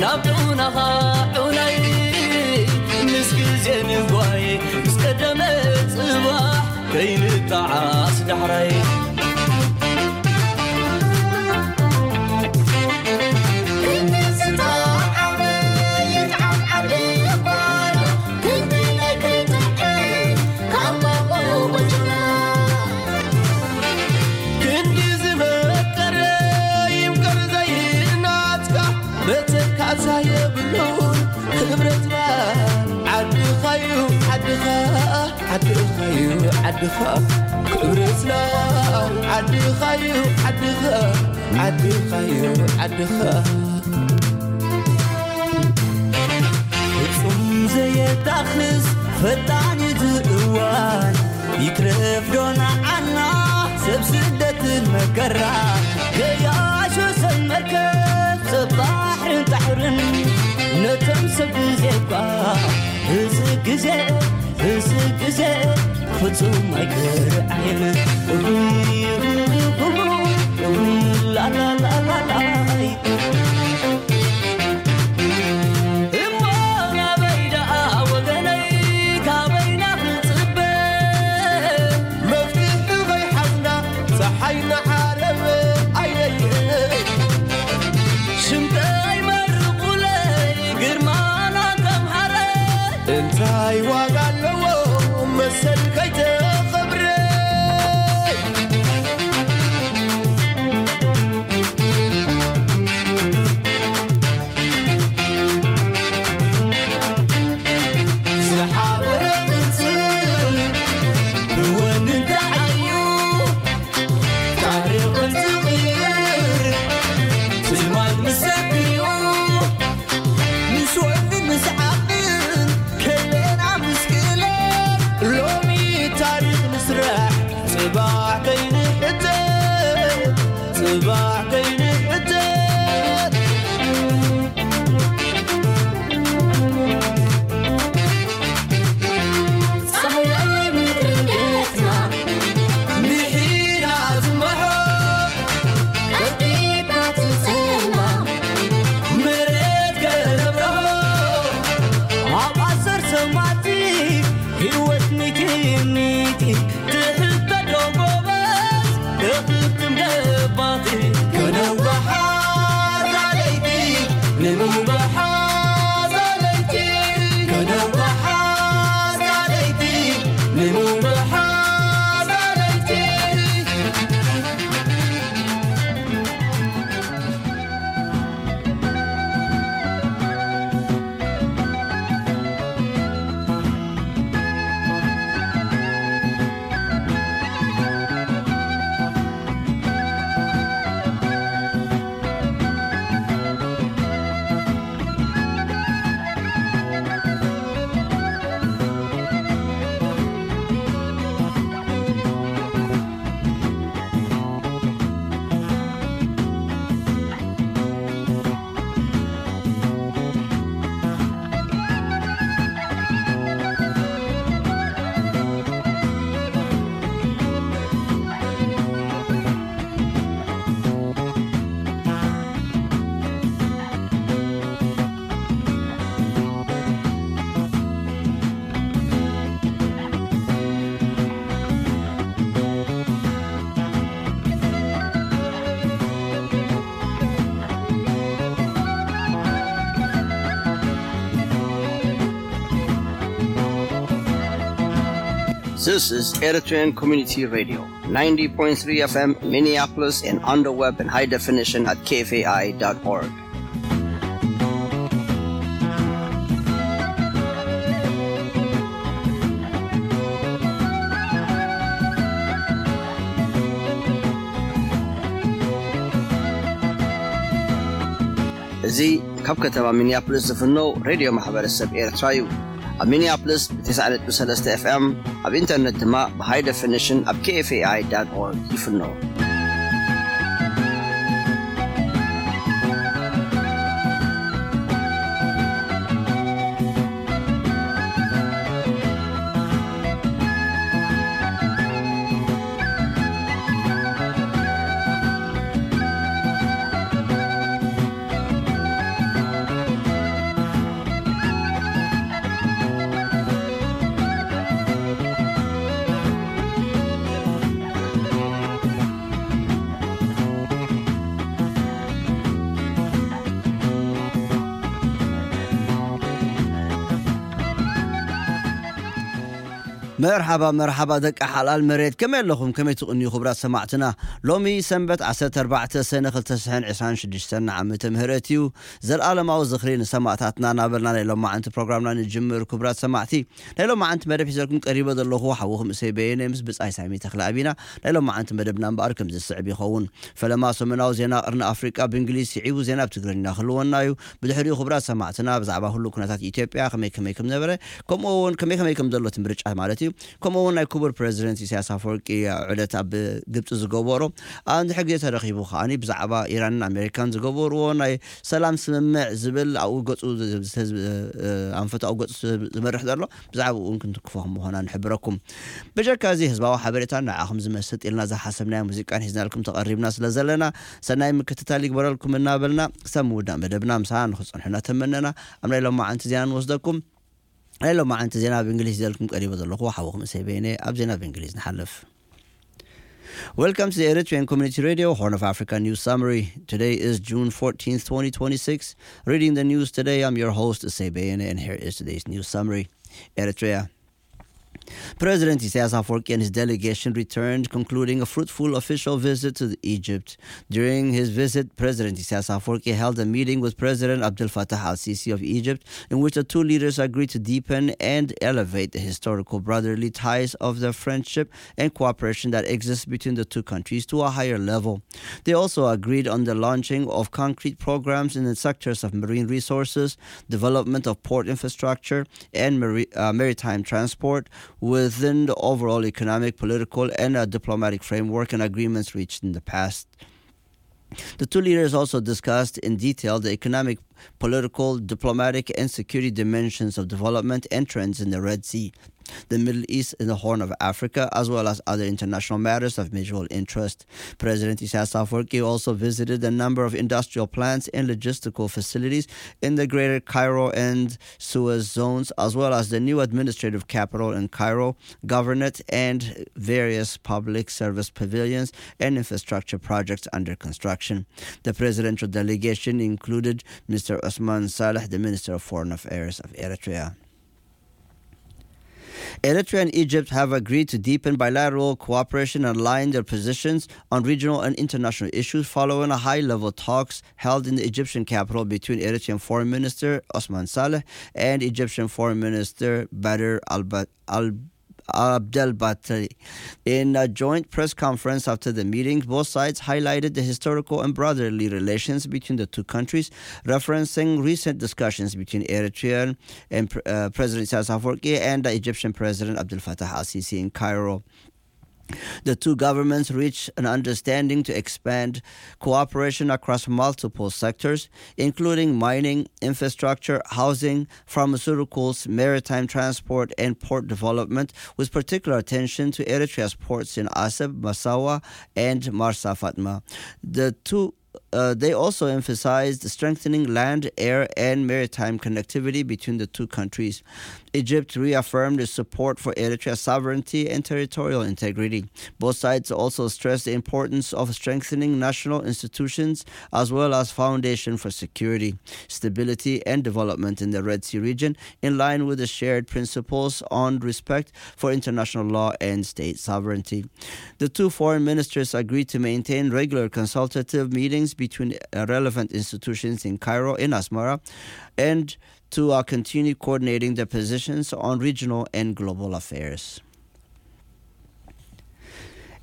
ናብ ዑናኻ ዑናይ ምስ ግዜ ንጓይ ምስ ቀደመ ጽባሕ ከይንጠዓስ ዳሕራይ። ክንዲ ዝተዓመ ይጥዓም ዓዲ ጓና፣ ክንዲ ናይ ከይትውዕል ካብ ኣቦ ወጅና። ክንዲ ዝመቀረ ይምቀር ዘይናትካ፣ መተካእታ የብሉን ክብረትና ዓድኻዩ ዓድኻ፣ ዓድኻዩ ዓድኻ። ክብረትና ዓድኻዩ ዓድኻ፣ ዓድኻዩ ዓድኻ። ፍጹም ዘየጣኽስ ፈጣን እዩ እቲ እዋን፣ ይትረፍ ዶ ንዓና ሰብ ስደትን መከራ። ገያሾ ሰብ መርከብ ሰብ ባሕርን ባሕርን፣ ነቶም ሰብ ግዜ እኳ እዚ ግዜ፣ እዚ ግዜ ፍጹም ኣይክርዓይን። ላላላላላይ። እሞ ናበይ ደኣ ወገነይ ካበይና ክንጽበ? መፍትሒ ከይሓዝና ጸሓይ ንዓረብ ኣየየ። ሽምጠይ መርቑለይ ግርማና ተምሃረ። እንታይ ዋጋ ኣለዎ መሰል ከይተኸብረ? ዝሓበረ ቅጽል ብወንን ተዓዩ፣ ታሪኽን ዝቕይር ትማል ምስ ዘክርዩ፣ ምስ ወንን ምስ ዓቕልን ከይለና ምስ ክእለት፣ ሎሚ ታሪኽ ንስራሕ ጽባሕ ከይንሕተት፣ ጽባሕ ከይንሕተት። ጸሓይ ምድሪ ገጽና ምሒራ ትመሖ፣ ቀልጢፋ ትጸልማ፣ መሬት ከነብርሆ፣ ኣብ ኣሰር ሰማቲ ህይወት ሚቲ ሚቲ። ትሕተዶ ጎበዝ እኽትም ገባቲ። ከነውሓ ዛለይቲ፣ ንምውባሓ ዛለይቲ፣ ከነውሓ ዛለይቲ፣ ንምውባሓ ዛለይቲ። This is Eritrean Community Radio, ninety point three F M Minneapolis, and on the web in high definition at K F A I dot org. እዚ ካብ ከተማ ሚኒያፖሊስ ዝፍኖ ሬድዮ ማሕበረሰብ ኤርትራ እዩ። ኣብ ሚኒያፖሊስ ብ ተስዓ ነጥቢ ሰለስተ ኤፍ ኤም፣ ኣብ ኢንተርነት ድማ ብ ሃይ ደፊኒሽን ኣብ ኬ ኤፍ ኤ ኣይ ዳት ኦርግ ይፍኖ። መርሓባ መርሓባ ደቂ ሓላል መሬት፣ ከመይ ኣለኹም? ከመይ ትቕንዩ ክቡራት ሰማዕትና? ሎሚ ሰንበት ዓሰርተ ኣርባዕተ ሰነ ክልተ ሽሕን ዕስራን ሽዱሽተን ዓመተ ምህረት እዩ። ዘልኣለማዊ ዝኽሪ ንሰማእታትና እናበልና ናይ ሎማዓንቲ ፕሮግራምና ንጅምር። ክቡራት ሰማዕቲ፣ ናይ ሎማዓንቲ መደብ ሒዘልኩም ቀሪበ ዘለኹ ሓውኹም እሰይ በየነ ምስ ብጻይ ሳሚ ተኽለ ኣቢና። ናይ ሎማዓንቲ መደብና እምበኣር ከም ዝስዕብ ይኸውን። ፈለማ ሰሙናዊ ዜና ቅርኒ ኣፍሪቃ ብእንግሊዝ ስዒቡ ዜና ብትግርኛ ክህልወና እዩ። ብድሕሪኡ ክቡራት ሰማዕትና ብዛዕባ ህሉው ኩነታት ኢትዮጵያ ከመይ ከመይ ከም ነበረ፣ ከምኡ እውን ከመይ ከመይ ከም ዘሎ እቲ ምርጫ ማለት እዩ። ከምኡ እውን ናይ ክቡር ፕረዚደንት ኢሳያስ ኣፈወርቂ ዑደት ኣብ ግብፂ ዝገበሮ፣ ኣብ እንድሕር ግዜ ተረኺቡ ከዓኒ ብዛዕባ ኢራንን ኣሜሪካን ዝገበርዎ ናይ ሰላም ስምምዕ ዝብል ኣብኡ ገፁ ዝ-፣ ዝ-፣ ዝ-፣ ኣንፈቱ ኣብኡ ገፁ ዝመርሕ ዘሎ፣ ብዛዕባኡ እውን ክንትክፎ ከም ምዃና ንሕብረኩም። ብጀካ እዚ ህዝባዊ ሓበሬታን ንዓኹም ዝመስጥ ኢልና ዝሓሰብናዮ ሙዚቃን ሒዝናልኩም ተቐሪብና ስለ ዘለና፣ ሰናይ ምክትታል ይግበረልኩም እናበልና፣ ክሳብ ምውዳእ መደብና ምሳና ንክትጸንሑ እናተመነና፣ ኣብ ናይ ሎማዓንቲ ዜና ንወስደኩም። ናይ ሎማዓንቲ ዜና ብእንግሊዝ ሒዘልኩም ቀሪበ ዘለኹ ሓውኹም እሰይ በየነ። ኣብ ዜና ብእንግሊዝ ንሓልፍ። Welcome to the Eritrean Community Radio, Horn of Africa News Summary. Today is June fourteenth, twenty twenty-six. Reading the news today, I'm your host, Usei Beyene, and here is today's news summary. Eritrea. President Isaias Afwerki and his delegation returned, concluding a fruitful official visit to Egypt. During his visit, President Isaias Afwerki held a meeting with President Abdel Fattah al-Sisi of Egypt, in which the two leaders agreed to deepen and elevate the historical brotherly ties of the friendship and cooperation that exists between the two countries to a higher level. They also agreed on the launching of concrete programs in the sectors of marine resources, development of port infrastructure, and mari-, uh, maritime transport within the overall economic, political, and, uh, diplomatic framework and agreements reached in the past. The two leaders also discussed in detail the economic, political, diplomatic, and security dimensions of development and trends in the Red Sea, the Middle East, and the Horn of Africa, as well as other international matters of mutual interest. President Isaias Afwerki also visited a number of industrial plants and logistical facilities in the Greater Cairo and Suez zones, as well as the new administrative capital in Cairo, governorate, and various public service pavilions and infrastructure projects under construction. The presidential delegation included Mister Osman Saleh, the Minister of Foreign Affairs of Eritrea. Eritrea and Egypt have agreed to deepen bilateral cooperation and align their positions on regional and international issues following a high-level talks held in the Egyptian capital between Eritrean Foreign Minister Osman Saleh and Egyptian Foreign Minister Badr al-, al-, Abdel Batali. In a joint press conference after the meeting, both sides highlighted the historical and brotherly relations between the two countries, referencing recent discussions between Eritrean and, uh, President Isaias Afwerki and the Egyptian President Abdel Fattah al-Sisi in Cairo. The two governments reached an understanding to expand cooperation across multiple sectors, including mining, infrastructure, housing, pharmaceuticals, maritime transport, and port development, with particular attention to Eritrea's ports in Asab, Massawa, and Marsa Fatma. The two uh, they also emphasized strengthening land, air, and maritime connectivity between the two countries. Egypt reaffirmed its support for Eritrea's sovereignty and territorial integrity. Both sides also stressed the importance of strengthening national institutions as well as foundation for security, stability, and development in the Red Sea region, in line with the shared principles on respect for international law and state sovereignty. The two foreign ministers agreed to maintain regular consultative meetings between, uh, relevant institutions in Cairo and Asmara, and to, uh, continue coordinating their positions on regional and global affairs.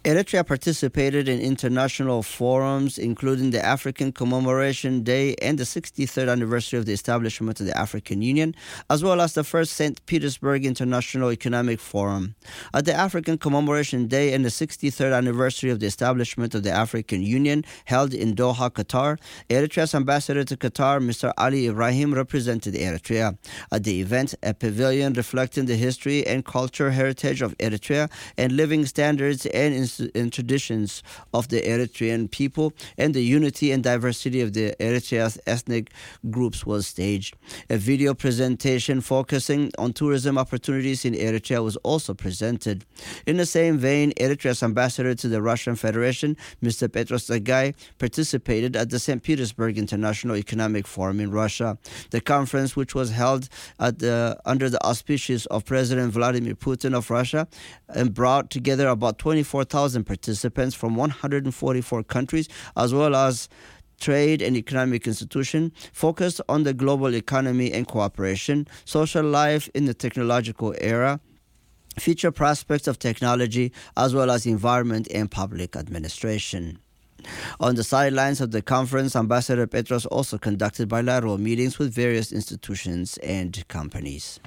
Eritrea participated in international forums, including the African Commemoration Day and the sixty-third anniversary of the establishment of the African Union, as well as the first Saint Petersburg International Economic Forum. At the African Commemoration Day and the sixty-third anniversary of the establishment of the African Union, held in Doha, Qatar, Eritrea's ambassador to Qatar, Mister Ali Ibrahim, represented Eritrea. At the event, a pavilion reflecting the history and culture heritage of Eritrea and living standards and to, and traditions of the Eritrean people and the unity and diversity of the Eritrea's ethnic groups was staged. A video presentation focusing on tourism opportunities in Eritrea was also presented. In the same vein, Eritrea's ambassador to the Russian Federation, Mister Petros Tsegaye, participated at the Saint Petersburg International Economic Forum in Russia. The conference, which was held at the, under the auspices of President Vladimir Putin of Russia, and brought together about twenty-four thousand participants from one hundred forty-four countries, as well as trade and economic institution, focused on the global economy and cooperation, social life in the technological era, future prospects of technology, as well as environment and public administration. On the sidelines of the conference, Ambassador Petros also conducted bilateral meetings with various institutions and companies.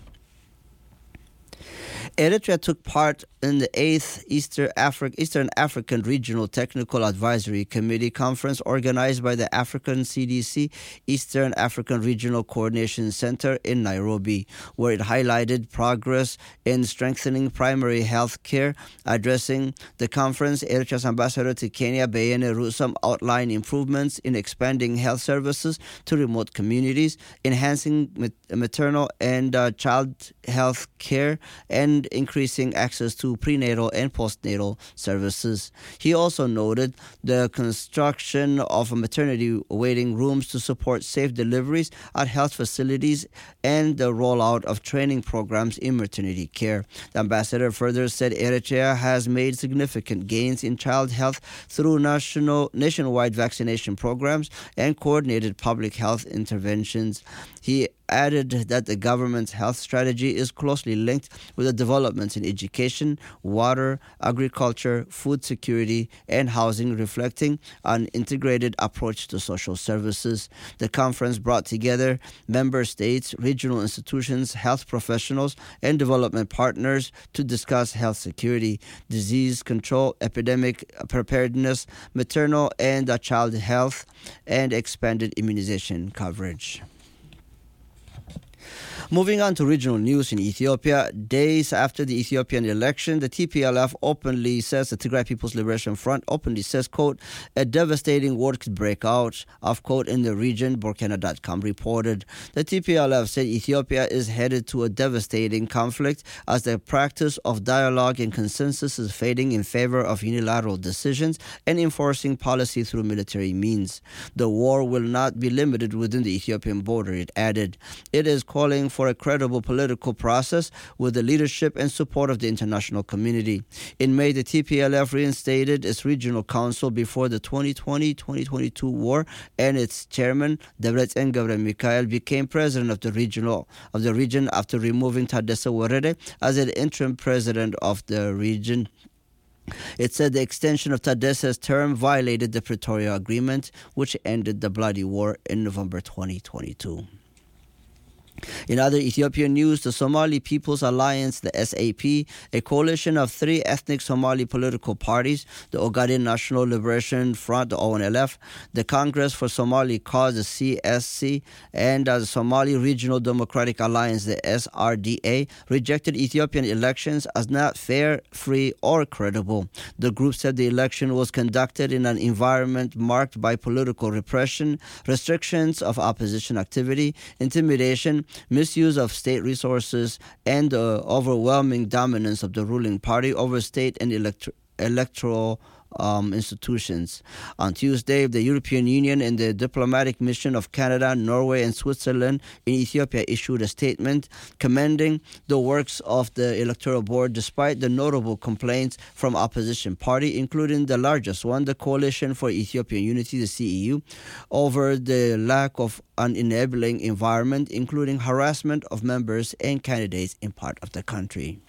Eritrea took part in the eighth Eastern, Afri- Eastern African Regional Technical Advisory Committee conference organized by the African C D C Eastern African Regional Coordination Center in Nairobi, where it highlighted progress in strengthening primary health care. Addressing the conference, Eritrea's ambassador to Kenya, Beyene Rusam, outlined improvements in expanding health services to remote communities, enhancing mat- maternal and uh, child health care, and increasing access to prenatal and postnatal services. He also noted the construction of maternity waiting rooms to support safe deliveries at health facilities and the rollout of training programs in maternity care. The ambassador further said Eritrea has made significant gains in child health through national, nationwide vaccination programs and coordinated public health interventions. He added that the government's health strategy is closely linked with the developments in education, water, agriculture, food security, and housing, reflecting an integrated approach to social services. The conference brought together member states, regional institutions, health professionals, and development partners to discuss health security, disease control, epidemic preparedness, maternal and uh, child health, and expanded immunization coverage. Moving on to regional news in Ethiopia, days after the Ethiopian election, the T P L F openly says, the Tigray People's Liberation Front openly says, quote, a devastating war could break out, of quote, in the region, Burkina dot com reported. The T P L F said Ethiopia is headed to a devastating conflict as the practice of dialogue and consensus is fading in favor of unilateral decisions and enforcing policy through military means. The war will not be limited within the Ethiopian border, it added. It is calling for a credible political process with the leadership and support of the international community. In May, the T P L F reinstated its regional council before the twenty twenty twenty twenty-two war, and its chairman, Debretsion Gebre Mikael, became president of the regional of the region after removing Tadesse Werede as an interim president of the region. It said the extension of Tadesse's term violated the Pretoria Agreement, which ended the bloody war in November twenty twenty-two. In other Ethiopian news, the Somali People's Alliance, the S A P, a coalition of three ethnic Somali political parties, the Ogaden National Liberation Front, the O N L F, the Congress for Somali Cause, the C S C, and uh, the Somali Regional Democratic Alliance, the S R D A, rejected Ethiopian elections as not fair, free, or credible. The group said the election was conducted in an environment marked by political repression, restrictions of opposition activity, intimidation, misuse of state resources, and the overwhelming dominance of the ruling party over state and electro- electoral um, institutions. On Tuesday, the European Union and the diplomatic mission of Canada, Norway, and Switzerland in Ethiopia issued a statement commending the works of the Electoral Board despite the notable complaints from opposition party, including the largest one, the Coalition for Ethiopian Unity, the C E U, over the lack of an enabling environment, including harassment of members and candidates in part of the country.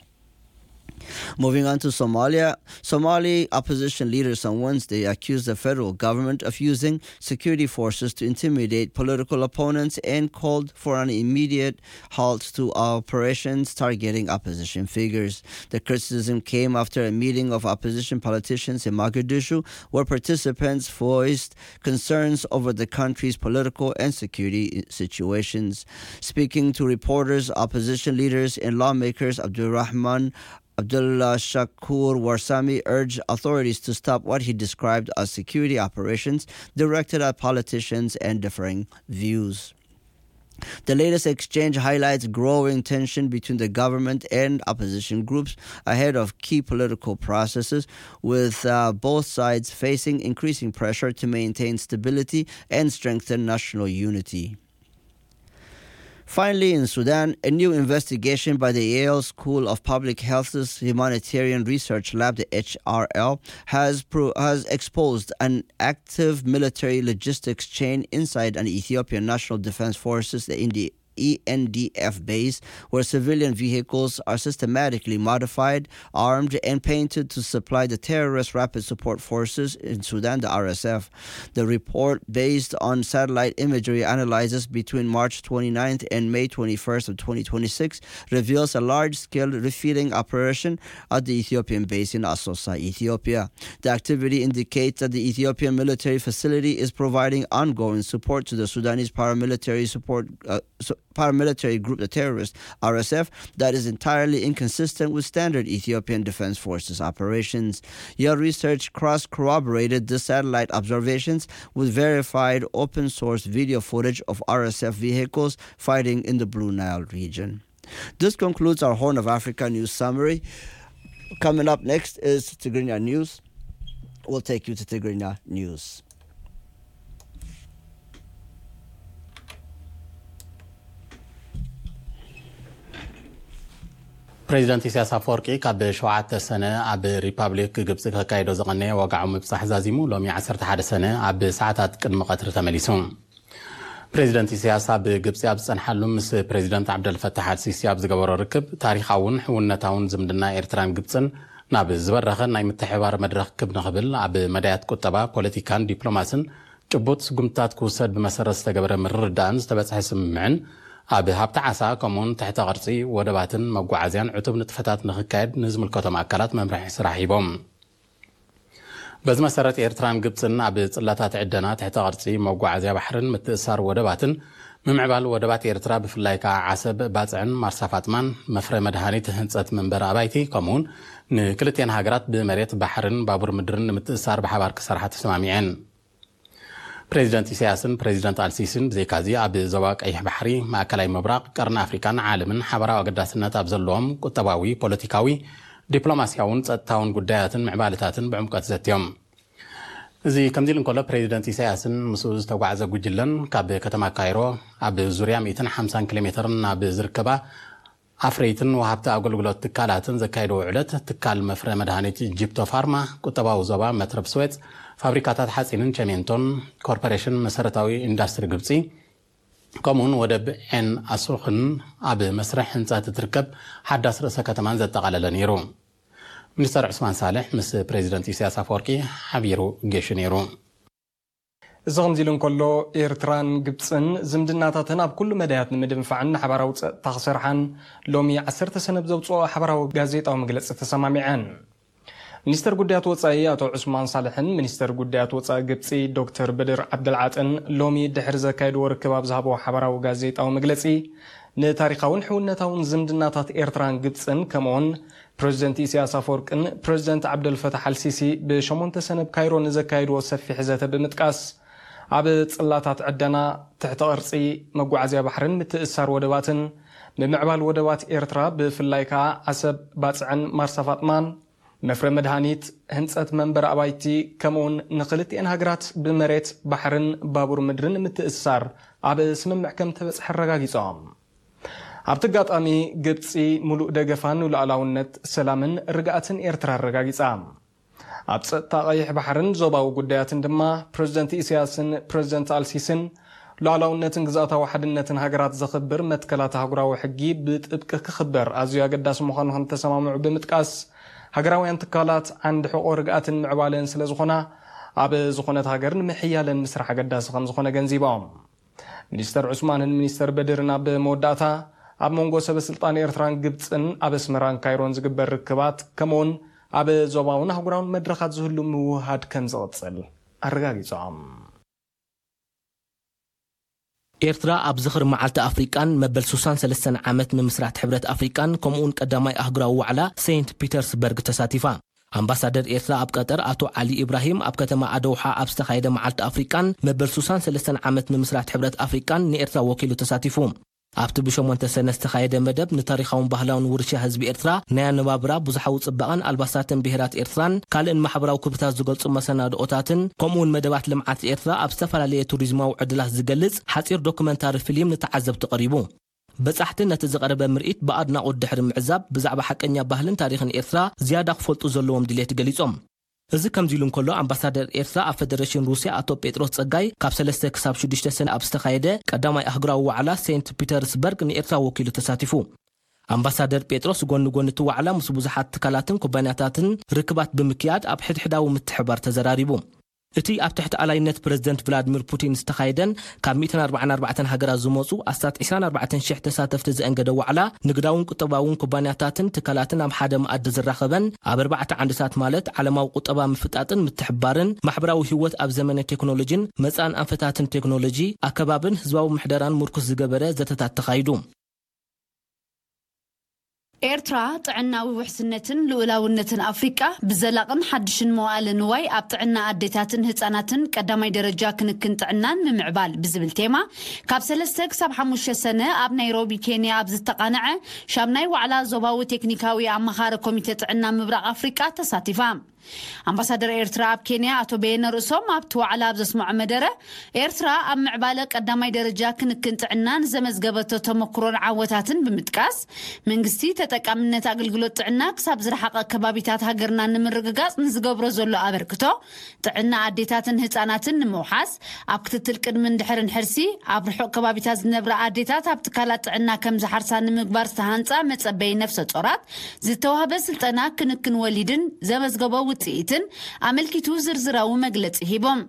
Moving on to Somalia, Somali opposition leaders on Wednesday accused the federal government of using security forces to intimidate political opponents and called for an immediate halt to operations targeting opposition figures. The criticism came after a meeting of opposition politicians in Mogadishu, where participants voiced concerns over the country's political and security situations. Speaking to reporters, opposition leaders and lawmakers Abdulrahman Abdullah Shakur Warsame urged authorities to stop what he described as security operations directed at politicians and differing views. The latest exchange highlights growing tension between the government and opposition groups ahead of key political processes, with uh, both sides facing increasing pressure to maintain stability and strengthen national unity. Finally, in Sudan, a new investigation by the Yale School of Public Health's Humanitarian Research Lab, the H R L, has, pro- has exposed an active military logistics chain inside an Ethiopian National Defense Forces, the E N D F base, where civilian vehicles are systematically modified, armed, and painted to supply the terrorist Rapid Support Forces in Sudan, the R S F. The report, based on satellite imagery analysis between March twenty-ninth and May twenty-first of twenty twenty-six, reveals a large-scale refueling operation at the Ethiopian base in Assosa, Ethiopia. The activity indicates that the Ethiopian military facility is providing ongoing support to the Sudanese paramilitary support uh, so- paramilitary group, the terrorist R S F, that is entirely inconsistent with standard Ethiopian Defense Forces operations. Your research cross corroborated the satellite observations with verified open source video footage of R S F vehicles fighting in the Blue Nile region. This concludes our Horn of Africa news summary. Coming up next is Tigrinya News. We'll take you to Tigrinya News. ፕሬዚደንት ኢሳያስ ኣፈወርቂ ካብ ሸውዓተ ሰነ ኣብ ሪፓብሊክ ግብፂ ከካይዶ ዝቐነየ ወግዓዊ ምብፃሕ ዛዚሙ ሎሚ ዓሰርተ ሓደ ሰነ ኣብ ሰዓታት ቅድሚ ቀትሪ ተመሊሱ። ፕሬዚደንት ኢሳያስ ኣብ ግብፂ ኣብ ዝፀንሓሉ ምስ ፕሬዚደንት ዓብደልፈታሕ ኣልሲሲ ኣብ ዝገበሮ ርክብ ታሪኻውን ሕውነታውን ዝምድና ኤርትራን ግብፅን ናብ ዝበረኸ ናይ ምትሕብባር መድረኽ ክብ ንኽብል ኣብ መዳያት ቁጠባ፣ ፖለቲካን ዲፕሎማስን ጭቡጥ ስጉምትታት ክውሰድ ብመሰረት ዝተገበረ ምርድዳእን ዝተበፅሐ ስምምዕን ኣብ ሃብቲ ዓሳ ከምኡውን ትሕተ ቅርፂ ወደባትን መጓዓዝያን ዕቱብ ንጥፈታት ንኽካየድ ንዝምልከቶም ኣካላት መምርሒ ስራሕ ሂቦም። በዚ መሰረት ኤርትራን ግብፅን ኣብ ፅላታት ዕደና ትሕተ ቅርፂ መጓዓዝያ ባሕርን ምትእሳር ወደባትን ምምዕባል ወደባት ኤርትራ ብፍላይ ከዓ ዓሰብ፣ ባፅዕን ማርሳ ፋጥማን መፍረ መድሃኒት ህንፀት መንበሪ ኣባይቲ ከምኡውን ንክልቴን ሃገራት ብመሬት ባሕርን ባቡር ምድርን ንምትእሳር ብሓባር ክሰርሓ ተሰማሚዐን። ፕሬዚደንት ኢሳያስን ፕሬዚደንት ኣልሲሲን ብዘይካዚ ኣብ ዞባ ቀይሕ ባሕሪ፣ ማእከላይ ምብራቕ፣ ቀርኒ ኣፍሪካን ዓለምን ሓበራዊ ኣገዳስነት ኣብ ዘለዎም ቁጠባዊ፣ ፖለቲካዊ፣ ዲፕሎማስያውን ጸጥታውን ጉዳያትን ምዕባለታትን ብዕምቀት ዘትዮም። እዚ ከምዚ ኢሉ እንከሎ ፕሬዚደንት ኢሳያስን ምስኡ ዝተጓዕዘ ጉጅለን ካብ ከተማ ካይሮ ኣብ ዙርያ ሚእትን ሓምሳን ኪሎ ሜትርን ኣብ ዝርከባ ኣፍረይትን ወሃብቲ ኣገልግሎት ትካላትን ዘካየድዎ ዕለት ትካል መፍረ መድሃኒት ጂፕቶ ፋርማ፣ ቁጠባዊ ዞባ መትረብ ስዌጽ፣ ፋብሪካታት ሓፂንን ቸሜንቶን፣ ኮርፖሬሽን መሰረታዊ ኢንዳስትሪ ግብፂ ከምኡውን ወደብ ዔን ኣሱኽን ኣብ መስርሕ ህንፀት እትርከብ ሓዳስ ርእሰ ከተማን ዘጠቓለለ ነይሩ። ሚኒስተር ዑስማን ሳልሕ ምስ ፕሬዚደንት ኢሳያስ ኣፈወርቂ ሓቢሩ ጌሹ ነይሩ። እዚ ከምዚ ኢሉ እንከሎ፣ ኤርትራን ግብጽን ዝምድናታተን ኣብ ኩሉ መዳያት ንምድንፋዕን ንሓባራዊ ጸጥታ ክሰርሓን ሎሚ ዓሰርተ ሰነ ብዘውጽኦ ሓባራዊ ጋዜጣዊ መግለጺ ተሰማሚዐን። ሚኒስተር ጉዳያት ወጻኢ ኣቶ ዑስማን ሳልሕን ሚኒስተር ጉዳያት ወጻኢ ግብጺ ዶክተር በድር ዓብደልዓጥን ሎሚ ድሕሪ ዘካየድዎ ርክብ ኣብ ዝሃብዎ ሓባራዊ ጋዜጣዊ መግለጺ፣ ንታሪኻውን ሕውነታውን ዝምድናታት ኤርትራን ግብጽን ከምኡውን ፕረዚደንት ኢሳያስ ኣፈወርቅን ፕረዚደንት ዓብደልፈታሕ ኣልሲሲ ብሸሞንተ ሰነ ኣብ ካይሮ ንዘካየድዎ ሰፊሕ ዘተ ብምጥቃስ፣ ኣብ ጽላታት ዕደና፣ ትሕተ ቅርጺ፣ መጓዓዝያ ባሕርን ምትእስሳር ወደባትን፣ ምምዕባል ወደባት ኤርትራ ብፍላይ ከኣ ዓሰብ፣ ባጽዕን ማርሳ ፋጥማን፣ መፍረ መድሃኒት፣ ህንጸት መንበሪ ኣባይቲ፣ ከምኡውን ንኽልቲኤን ሃገራት ብመሬት፣ ባሕርን ባቡር ምድርን ምትእስሳር ኣብ ስምምዕ ከም ተበጽሐ ኣረጋጊጾም። ኣብቲ ኣጋጣሚ፣ ግብጺ ምሉእ ደገፋ ንሉዓላውነት፣ ሰላምን ርግኣትን ኤርትራ ኣረጋጊጻ። ኣብ ጸጥታ ቀይሕ ባሕርን ዞባዊ ጉዳያትን ድማ፣ ፕረዚደንት ኢሳያስን ፕረዚደንት ኣልሲስን ሉዓላውነትን ግዝኣታዊ ሓድነትን ሃገራት ዘኽብር መትከላት ኣህጉራዊ ሕጊ ብጥብቂ ክኽበር ኣዝዩ ኣገዳሲ ምዃኑ ከም ዝተሰማምዑ ብምጥቃስ፣ ሃገራውያን ትካላት ዓንዲ ሕቖ ርግኣትን ምዕባለን ስለ ዝኾና፣ ኣብ ዝኾነት ሃገር ንምሕያለን ምስራሕ ኣገዳሲ ከም ዝኾነ ገንዚቦም። ሚኒስተር ዑስማንን ሚኒስተር በድርን ኣብ መወዳእታ፣ ኣብ መንጎ ሰበ ስልጣን ኤርትራን ግብጽን ኣብ ኣስመራን ካይሮን ዝግበር ርክባት፣ ከምኡውን ኣብ ዞባውን ኣህጉራውን መድረኻት ዝህሉ ምውህሃድ ከም ዝቕጽል ኣረጋጊጾም። ኤርትራ ኣብ ዝኽሪ መዓልቲ ኣፍሪቃን መበል ሱሳን ሰለስተን ዓመት ምምስራት ሕብረት ኣፍሪቃን ከምኡውን ቀዳማይ ኣህጉራዊ ዋዕላ ሴንት ፒተርስበርግ ተሳቲፋ። ኣምባሳደር ኤርትራ ኣብ ቀጠር ኣቶ ዓሊ ኢብራሂም ኣብ ከተማ ኣደውሓ ኣብ ዝተኻየደ መዓልቲ ኣፍሪቃን መበል ሱሳን ሰለስተን ዓመት ምምስራት ሕብረት ኣፍሪቃን ንኤርትራ ወኪሉ ተሳቲፉ። ኣብቲ ብሸሞንተ ሰነ ዝተኻየደ መደብ ንታሪኻውን ባህላውን ውርሻ ህዝቢ ኤርትራ፣ ናይ ኣነባብራ፣ ብዙሓዊ ጽባቐን ኣልባሳትን ብሄራት ኤርትራን ካልእን ማሕበራዊ ክብርታት ዝገልጹ መሰናድኦታትን ከምኡውን መደባት ልምዓት ኤርትራ ኣብ ዝተፈላለየ ቱሪዝማዊ ዕድላት ዝገልጽ ሓጺር ዶክመንታሪ ፊልም ንተዓዘብቲ ቀሪቡ። በጻሕቲ ነቲ ዝቐረበ ምርኢት ብኣድናቖት ድሕሪ ምዕዛብ፣ ብዛዕባ ሓቀኛ ባህልን ታሪኽን ኤርትራ ዝያዳ ክፈልጡ ዘለዎም ድሌት ገሊጾም። እዚ ከምዚ ኢሉ እንከሎ፣ ኣምባሳደር ኤርትራ ኣብ ፈደረሽን ሩስያ ኣቶ ጴጥሮስ ጸጋይ ካብ ሰለስተ ክሳብ ሽዱሽተ ሰነ ኣብ ዝተኻየደ ቀዳማይ ኣህጉራዊ ዋዕላ ሴንት ፒተርስበርግ ንኤርትራ ወኪሉ ተሳቲፉ። ኣምባሳደር ጴጥሮስ ጎኒ ጎኒ እቲ ዋዕላ ምስ ብዙሓት ትካላትን ኩባንያታትን ርክባት ብምክያድ ኣብ ሕድሕዳዊ ምትሕባር ተዘራሪቡ። እቲ ኣብ ትሕቲ ኣላይነት ፕረዚደንት ቭላድሚር ፑቲን ዝተኻየደን ካብ ሚእትን ኣርባዓን ኣርባዕተን ሃገራት ዝመጹ ኣስታት ዕስራን ኣርባዕተን ሽሕ ተሳተፍቲ ዘእንገደ ዋዕላ፣ ንግዳውን ቁጠባውን ኩባንያታትን ትካላትን ኣብ ሓደ መኣዲ ዝራኸበን ኣብ ኣርባዕተ ዓንድታት ማለት ዓለማዊ ቁጠባ ምፍጣጥን ምትሕብባርን ማሕበራዊ ህይወት ኣብ ዘመነ ቴክኖሎጂን መጻን ኣንፈታትን ቴክኖሎጂ፣ ኣከባብን ህዝባዊ ምሕደራን ምርኩስ ዝገበረ ዘተታት ተኻይዱ። ኤርትራ ጥዕናዊ ውሕስነትን ልኡላውነትን ኣፍሪቃ ብዘላቕን ሓድሽን መዋእለ ንዋይ ኣብ ጥዕና ኣዴታትን ህጻናትን ቀዳማይ ደረጃ ክንክን ጥዕናን ምምዕባል ብዝብል ቴማ ካብ ሰለስተ ክሳብ ሓሙሽተ ሰነ ኣብ ናይሮቢ ኬንያ ኣብ ዝተቓነዐ ሻምናይ ዋዕላ ዞባዊ ቴክኒካዊ ኣማኻሪ ኮሚቴ ጥዕና ምብራቕ ኣፍሪቃ ተሳቲፋ። ኣምባሳደር ኤርትራ ኣብ ኬንያ ኣቶ በየነ ርእሶም ኣብቲ ዋዕላ ኣብ ዘስምዖ መደረ፣ ኤርትራ ኣብ ምዕባለ ቀዳማይ ደረጃ ክንክን ጥዕናን ዘመዝገበቶ ተመክሮን ዓወታትን ብምጥቃስ፣ መንግስቲ ተጠቃምነት ኣገልግሎት ጥዕና ክሳብ ዝረሓቐ ከባቢታት ሃገርና ንምርግጋጽ ንዝገብሮ ዘሎ ኣበርክቶ፣ ጥዕና ኣዴታትን ህጻናትን ንምውሓስ፣ ኣብ ክትትል ቅድምን ድሕርን ሕርሲ፣ ኣብ ርሑቕ ከባቢታት ዝነብራ ኣዴታት ኣብ ትካላት ጥዕና ከም ዝሓርሳ ንምግባር ዝተሃንጻ መጸበይ ነፍሰ ጾራት ዝተዋህበ ስልጠና ክንክን ወሊድን ዘመዝገቦ ውጽኢትን ኣመልኪቱ ዝርዝራዊ መግለጺ ሂቦም።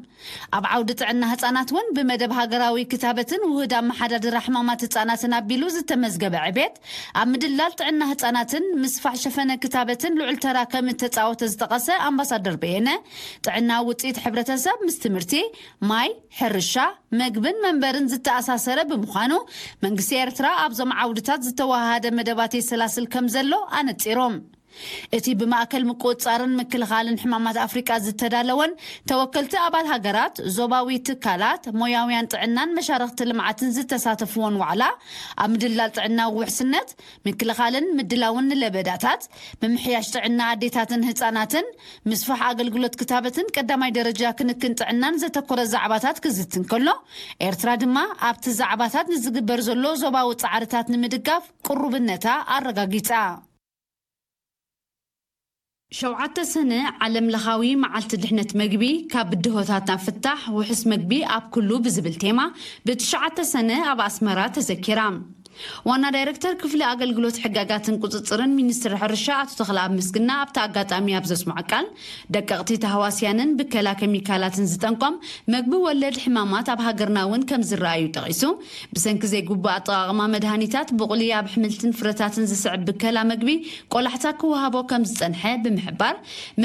ኣብ ዓውዲ ጥዕና ህጻናት እውን ብመደብ ሃገራዊ ክታበትን ውህድ ኣመሓዳድራ ሕማማት ህጻናትን ኣቢሉ ዝተመዝገበ ዕቤት፣ ኣብ ምድላል ጥዕና ህጻናትን ምስፋሕ ሸፈነ ክታበትን ልዑል ተራ ከም እተጻወተ ዝጠቐሰ ኣምባሳደር በየነ፣ ጥዕና ውጽኢት ሕብረተሰብ ምስ ትምህርቲ፣ ማይ፣ ሕርሻ፣ መግብን መንበርን ዝተኣሳሰረ ብምዃኑ፣ መንግስቲ ኤርትራ ኣብዞም ዓውድታት ዝተወሃሃደ መደባት የሰላስል ከም ዘሎ ኣነጺሮም። እቲ ብማእከል ምቁጽጻርን ምክልኻልን ሕማማት ኣፍሪቃ ዝተዳለወን ተወከልቲ ኣባል ሃገራት፣ ዞባዊ ትካላት፣ ሞያውያን ጥዕናን መሻርኽቲ ልምዓትን ዝተሳተፍዎን ዋዕላ፣ ኣብ ምድላል ጥዕናዊ ውሕስነት፣ ምክልኻልን ምድላውን ንለበዳታት፣ ምምሕያሽ ጥዕና ኣዴታትን ህጻናትን፣ ምስፋሕ ኣገልግሎት ክታበትን ቀዳማይ ደረጃ ክንክን ጥዕናን ዘተኮረ ዛዕባታት ክዝትን ከሎ፣ ኤርትራ ድማ ኣብቲ ዛዕባታት ንዝግበር ዘሎ ዞባዊ ጻዕርታት ንምድጋፍ ቅሩብነታ ኣረጋጊጻ። ሸውዓተ ሰነ ዓለም ለኻዊ መዓልቲ ድሕነት መግቢ፣ ካብ ብድሆታት ናብ ፍታሕ፣ ውሑስ መግቢ ኣብ ኩሉ ብዝብል ቴማ ብትሽዓተ ሰነ ኣብ ኣስመራ ተዘኪራ። ዋና ዳይረክተር ክፍሊ ኣገልግሎት ሕጋጋትን ቁጽጽርን ሚኒስትሪ ሕርሻ ኣቶ ተኽለኣብ ምስግና ኣብቲ ኣጋጣሚ ኣብ ዘስምዖ ቃል፣ ደቀቕቲ ተሃዋስያንን ብከላ ኬሚካላትን ዝጠንቆም መግቢ ወለድ ሕማማት ኣብ ሃገርና እውን ከም ዝረኣዩ ጠቒሱ፣ ብሰንኪ ዘይግቡእ ኣጠቓቕማ መድሃኒታት፣ ብቑሊ ኣብ ኣሕምልትን ፍረታትን ዝስዕብ ብከላ መግቢ ቆላሕታ ክወሃቦ ከም ዝጸንሐ ብምሕባር፣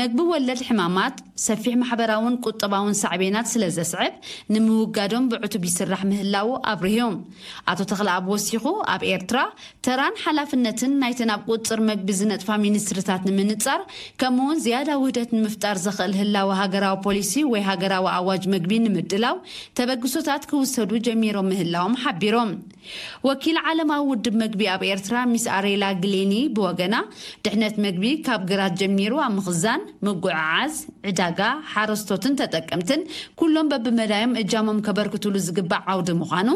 መግቢ ወለድ ሕማማት ሰፊሕ ማሕበራውን ቁጠባውን ሳዕቤናት ስለ ዘስዕብ፣ ንምውጋዶም ብዕቱብ ይስራሕ ምህላዉ ኣብሪሁ። ኣቶ ተኽለኣብ ወሲኹ፣ ኣብ ኤርትራ ተራን ሓላፍነትን ናይተን ኣብ ቁጽጽር መግቢ ዝነጥፋ ሚኒስትሪታት ንምንጻር፣ ከምኡውን ዝያዳ ውህደት ንምፍጣር ዘኽእል ህላወ ሃገራዊ ፖሊሲ ወይ ሃገራዊ ኣዋጅ መግቢ ንምድላው ተበግሶታት ክውሰዱ ጀሚሮም ምህላዎም ሓቢሮም። ወኪል ዓለማዊ ውድብ መግቢ ኣብ ኤርትራ ሚስ ኣሬላ ግሌኒ ብወገና፣ ድሕነት መግቢ ካብ ግራት ጀሚሩ ኣብ ምኽዛን፣ ምጉዕዓዝ፣ ዕዳጋ፣ ሓረስቶትን ተጠቀምትን ኩሎም በብመዳዮም እጃሞም ከበርክቱሉ ዝግባእ ዓውዲ ምዃኑ፣